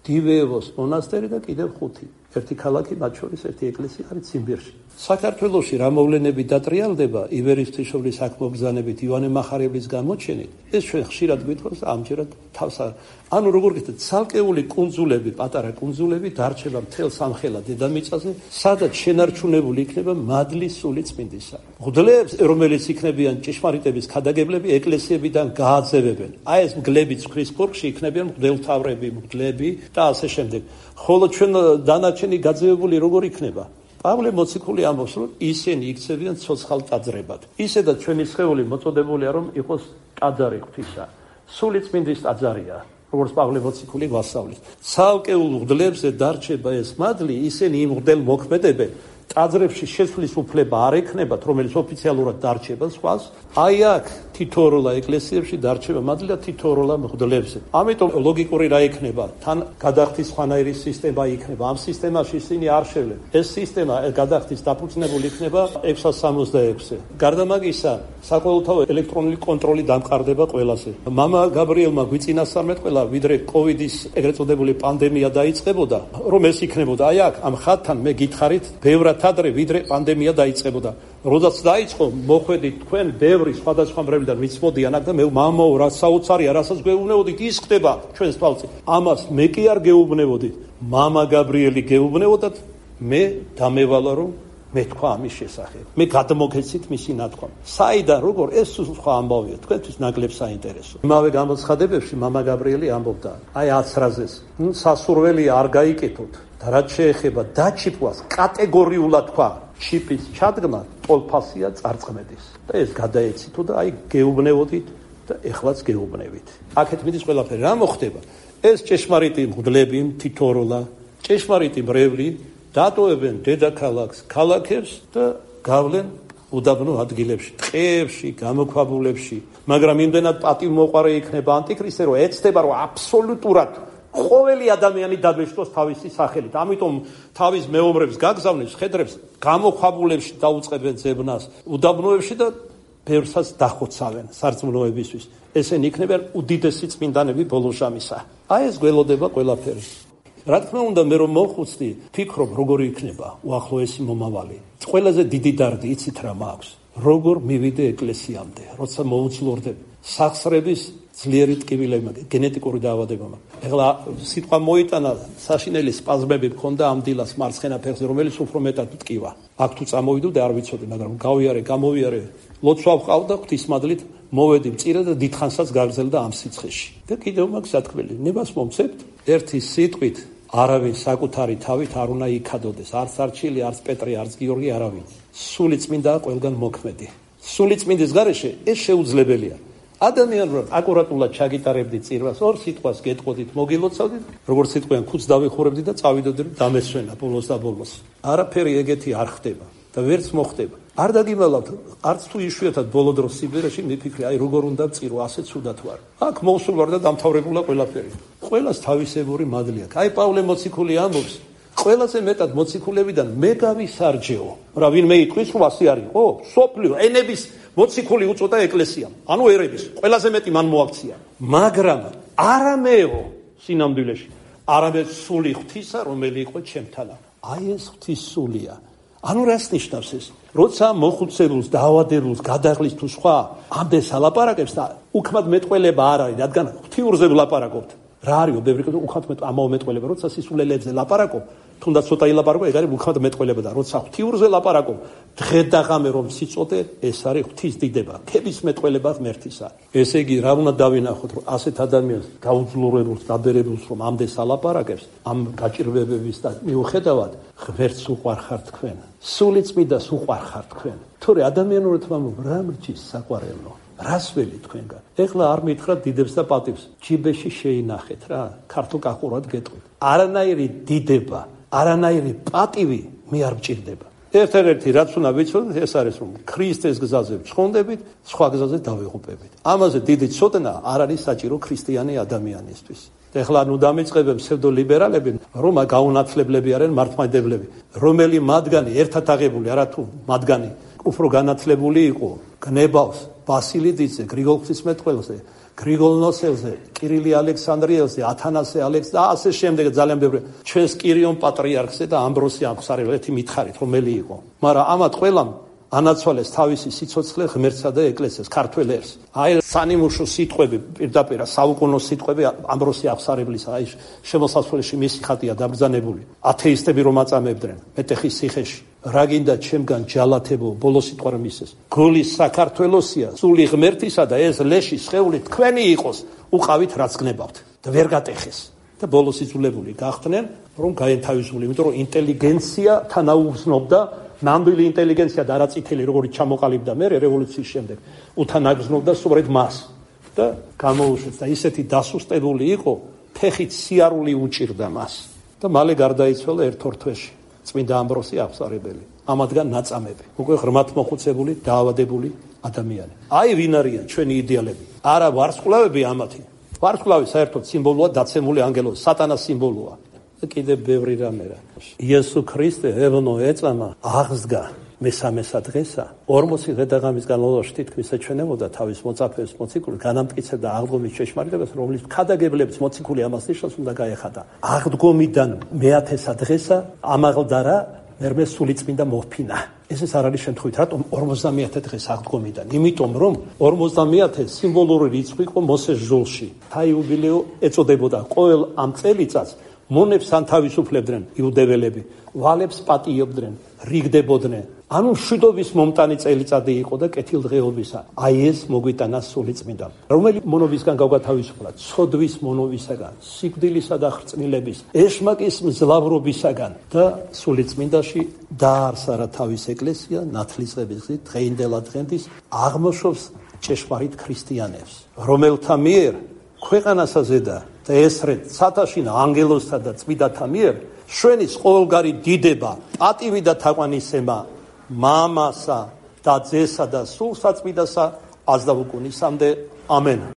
დივეევოს მონასტერი და კიდევ ხუთი. ერთი ქალაქი, მათ შორის ერთი ეკლესია არის ციმბირში. საქართველოში რა მოვლენები დატრიალდება ივერის ღვთისმშობლის აქ მოგზავნებით, ივანე მახარებლის გამოჩენით, ეს ჩვენ ხშირად გვითხოვს ამჯერად თავს არ. ანუ როგორ გითხრათ, ცალკეული კუნძულები, პატარა კუნძულები დარჩება მთელ სამხელა დედამიწაზე, სადაც შენარჩუნებული იქნება მადლის სული წმინდისა. მღვდლებს, რომელიც იქნებიან ჭეშმარიტების ქადაგებლები, ეკლესიებიდან გააძევებენ. აი ეს მგლები ცხვრის ქორქში იქნებიან მღვდელმთავრები, მღვდლები და ასე შემდეგ. ხოლო ჩვენ დანარჩენი გაძევებული როგორ იქნება? პავლე მოციქული ამბობს, რომ ისინი იქცევიან ცოცხალ ტაძრებად. ისედაც ჩვენი სხეული მოწოდებულია, რომ იყოს ტაძარი ღვთისა. სული წმინდის ტაძარია, როგორც პავლე მოციქული გვასწავლის. ცალკეულ მღვდლებზე დარჩება ეს მადლი, ისინი იმ მღვდელ მოქმედებენ. ტაძრებში შესვლის უფლება არ ექნებათ, რომელიც ოფიციალურად დარჩება სხვას. აი აქ თითოეულა ეკლესიებში დარჩება მადლი და თითოეულა მღვდლებზე. ამიტომ ლოგიკური რა იქნება? თან გადახდის სხვანაირი სისტემა იქნება. ამ სისტემაში ისინი არ შევლენ. ეს სისტემა გადახდის დაფუძნებული იქნება ექვსას სამოცდაექვსზე. გარდა მაგისა, საყოველთაო ელექტრონული კონტროლი დამყარდება ყველაზე. მამა გაბრიელმა გვიწინასწარმეტყველა, ვიდრე კოვიდის ეგრეთ წოდებული პანდემია დაიწყებოდა, რომ ეს იქნებოდა. აი აქ ამ ხატთან მე გითხარით, ბევრად ადრე ვიდრე პანდემია დაიწყებოდა. როდესაც დაიწყო, მოხვედით თქვენ ბევრი სხვადასხვა მრევლიდან მიცმოდიან აქ და მე მამაო, რა საოცარია, რასაც გეუბნევოდით, ის ხდება ჩვენს თვალწინ. ამას მე კი არ გეუბნევოდით, მამა გაბრიელი გეუბნევოდათ, მე დამევალა რომ მე თქვა ამის შესახებ. მე გადმოგეცით მისი ნათქვამი. საიდან როგორ ეს სხვა ამბავია, თქვენთვის ნაკლებ საინტერესო. იმავე გამოცხადებებში მამა გაბრიელი ამბობდა, აი აცრაზეს, ნუ სასურველია არ გაიკეთოთ. და რაც შეეხება დაჩიპვას, კატეგორიულად თქვა, ჩიპის ჩადგმა ტოლფასია წარწმედის. და ეს გადაეცითო და აი გეუბნევოდით და ეხლაც გეუბნევით. აქეთ მიდის ყველაფერი. რა მოხდება? ეს ჭეშმარიტი მღვდლები, თითოეულა, ჭეშმარიტი მრევლი დატოვებენ დედაქალაქს, ქალაქებს და გავლენ უდაბნო ადგილებში, ტყეებში, გამოქვაბულებში. მაგრამ იმდენად პატივმოყვარე იქნება ანტიქრისტე, რომ ეცდება, რომ აბსოლუტურად ყოველი ადამიანი დაბეჭდოს თავისი სახელით. ამიტომ თავის მეომრებს გაგზავნებს, ხედრებს გამოქვაბულებში დაუწყებენ ძებნას, უდაბნოებში და ბევრსაც დახოცავენ სარწმუნოებისთვის. ესენი იქნებიან უდიდესი წმინდანები ბოლო ჟამისა. აი ეს გველოდება ყველაფერი. რა თქმა უნდა, მე რომ მოხუცდი, ფიქრობ, როგორი იქნება უახლოესი მომავალი. ყველაზე დიდი დარდი იცით რა მაქვს? როგორ მივიდე ეკლესიამდე, როცა მოუძლურდები სახსრების ძლიერი ტკივილება, გენეტიკური დაავადება მაქვს. ეხლა სიტყვა მოიტანა, საშინელი სპაზმები მქონდა ამ დილას მარცხენა ფეხზე, რომელიც უფრო მეტად ტკივა. აქ თუ წამოვიდო და არ ვიცოდი, მაგრამ გავიარე, გამოვიარე, ლოცვა ვყავდა ღვთისმადლით, მოვედი მწირე და დიდხანსაც გაგრძელდა ამ სიცხეში. და კიდევ მაქვს სათქმელი, ნებას მომცემთ ერთი სიტყვით არავინ საკუთარი თავით არ უნდა იქადოდეს, არც არჩილი, არც პეტრე, არც გიორგი, არავინ. სული წმინდაა ყველგან მოქმედი. სული წმინდის გარეშე ეს შეუძლებელია. ადამიან რომ აკურატულად ჩაგიტარებდით წირვას, ორ სიტყვას გეტყოდით, მოგილოცავდით, როგორც სიტყვიან ქუდს დავიხურებდით და წავიდოდით დამესვენა ბოლოს და ბოლოს. არაფერი ეგეთი არ ხდება და ვერც მოხდება. არ დაგიმალავთ, არც თუ იშვიათად ბოლო დროს სიბერეში მიფიქრე, აი როგორ უნდა წირო, ასე ცუდად ვარ. აქ მოვსულ ვარ და დამთავრებულა ყველაფერი. ყველას თავისებური მადლი აქვს. აი პავლე მოციქული ამბობს, ყველაზე მეტად მოციქულებიდან მე გავისარჯეო. რა ვინმე იტყვის, რომ ასე არ იყო? სოფლიო ენების მოციქული უწოდა ეკლესიამ. ანუ ერების, ყველაზე მეტი მან მოაქცია. მაგრამ არა მეო სინამდვილეში, არამედ სული ღვთისა, რომელი იყო ჩემთანა. აი ეს ღვთის სულია. ანუ რას ნიშნავს ეს? როცა მოხუცებულს, დაავადებულს, გადაღლის თუ სხვა ამდენს ალაპარაკებს და უქმად მეტყველება არ არის, რადგან ღვთიურზე ვლაპარაკობთ. რა არისო, ბევრი კეთილ უქმად ამაო მეტყველება, როცა სისულელებზე ლაპარაკობ, თუნდაც ცოტა ილაპარაკო, ეგ არის უქმად მეტყველება და როცა ღვთიურზე ლაპარაკობ, დღე და ღამე რომ სიწოდე, ეს არის ღვთის დიდება, ქების მეტყველება ღმერთისა. ესე იგი, რა უნდა დავინახოთ, რომ ასეთ ადამიანს გაუძლურებულს, დაბერებულს რომ ამდენს ალაპარაკებს, ამ გაჭირვებების და მიუხედავად, ღმერთს უყვარხარ თქვენ. სული წმინდას უყვარხარ თქვენ. თორე ადამიანურად ვამბობ, რა მრჩის საყვარელო. რას ველი თქვენგან? ეხლა არ მითხრათ დიდებს და პატივს. ჯიბეში შეინახეთ რა, ქართულ კახურად გეტყვით. არანაირი დიდება, არანაირი პატივი მე არ მჭირდება. ერთ-ერთი რაც უნდა ვიცოდეთ, ეს არის რომ ქრისტეს გზაზე ვცხონდებით, სხვა გზაზე დავიღუპებით. ამაზე დიდი ცოდნა არ არის საჭირო ქრისტიანი ადამიანისთვის. ეხლა ნუ დამიწყებენ ფსევდოლიბერალები, რომ გაუნათლებლები არიან მართლმადიდებლები, რომელი მათგანი ერთად აღებული არა თუ მათგანი უფრო განათლებული იყო, გნებავს ბასილიდიძე, გრიგოლ ღვთისმეტყველზე, გრიგოლ ნოსელზე, კირილი ალექსანდრიელზე, ათანასე ალექს და ასე შემდეგ ძალიან ბევრი. ჩვენს კირიონ პატრიარქზე და ამბროსი აღსარელეთი მითხარით, რომელი იყო. მაგრამ ამათ ყველამ ანაცვალეს თავისი სიცოცხლე ღმერთსა და ეკლესიას, ქართველ ერს. აი სანიმუშო სიტყვები, პირდაპირ საუკუნო სიტყვები ამბროსი აღსარებლისა, აი შემოსასვლელში მისი ხატია დაბრძანებული. ათეისტები რომ აწამებდნენ მეტეხის ციხეში. რა გინდა ჩემგან ჯალათებო, ბოლო სიტყვა რომ ისეს. გული საქართველოსია, სული ღმერთისა და ეს ლეში სხეული თქვენი იყოს, უყავით რაც გნებავთ და ვერ გატეხეს. და ბოლოს იძულებული გახდნენ, რომ გაენთავისუფლდნენ, იმიტომ რომ ინტელიგენცია თანაუგზნობდა ნამდვილი ინტელიგენცია და არა წითელი, როგორც ჩამოყალიბდა მე რევოლუციის შემდეგ, უთანაგზნობდა სწორედ მას და გამოუშვეს და ისეთი დასუსტებული იყო, ფეხით სიარული უჭირდა მას და მალე გარდაიცვალა ერთ-ორ თვეში. წმინდა ამბროსი აღსარებელი, ამათგან ნაწამები, უკვე ღრმად მოხუცებული, დაავადებული ადამიანი. აი ვინ არიან ჩვენი იდეალები? არა ვარსკვლავები ამათი. ვარსკვლავი საერთოდ სიმბოლოა, დაცემული ანგელოზი, სატანას სიმბოლოა. და კიდე ბევრი რამე რა. იესო ქრისტე ევნო ეწამა აღსდგა მესამესა დღესა. ორმოცი დღე-და-ღამის განმავლობაში თითქმის ეჩვენებოდა თავის მოწაფეებს მოციქულს, განამტკიცებდა აღდგომის ჭეშმარიტებას, რომლის ქადაგებლებს მოციქული ამას ნიშნავს უნდა გაეხადა. აღდგომიდან მეათესა დღესა ამაღლდა რა მერმე სულიწმინდა მოფინა. ეს ეს არ არის შემთხვევით, რატომ ორმოცდამეათე დღეს აღდგომიდან? იმიტომ რომ ორმოცდამეათე სიმბოლური რიცხვი იყო მოსეს ჟოლში. თაიუბილეო ეწოდებოდა ყოველ ამ წელიწადს მონებს ანთავისუფლებდნენ იუდეველები, ვალებს პატიობდნენ, რიგდებოდნენ. ანუ მშვიდობის მომტანი წელიწადი იყო და კეთილდღეობისა. აი ეს მოგვიტანა სულიწმინდამ, რომელი მონობისგან გავგათავისუფლა, ცოდვის მონობისაგან, სიკვდილისა და ხრწნილების, ეშმაკის მძლავრობისაგან და სულიწმინდაში დაარსა რა თავის ეკლესია ნათლისღების გზით დღეინდელა დღენდის აღმოშობს ჭეშმარიტ ქრისტიანებს, რომელთა მიერ ქვეყანასა ზედა და ესრეთ სათაშინა ანგელოზთა და წმინდათა მიერ შვენის ყოველგარი დიდება, პატივი და თაყვანისცემა მამასა და ძესა და სულ საწმინდასა აზდავუკუნისამდე ამენ.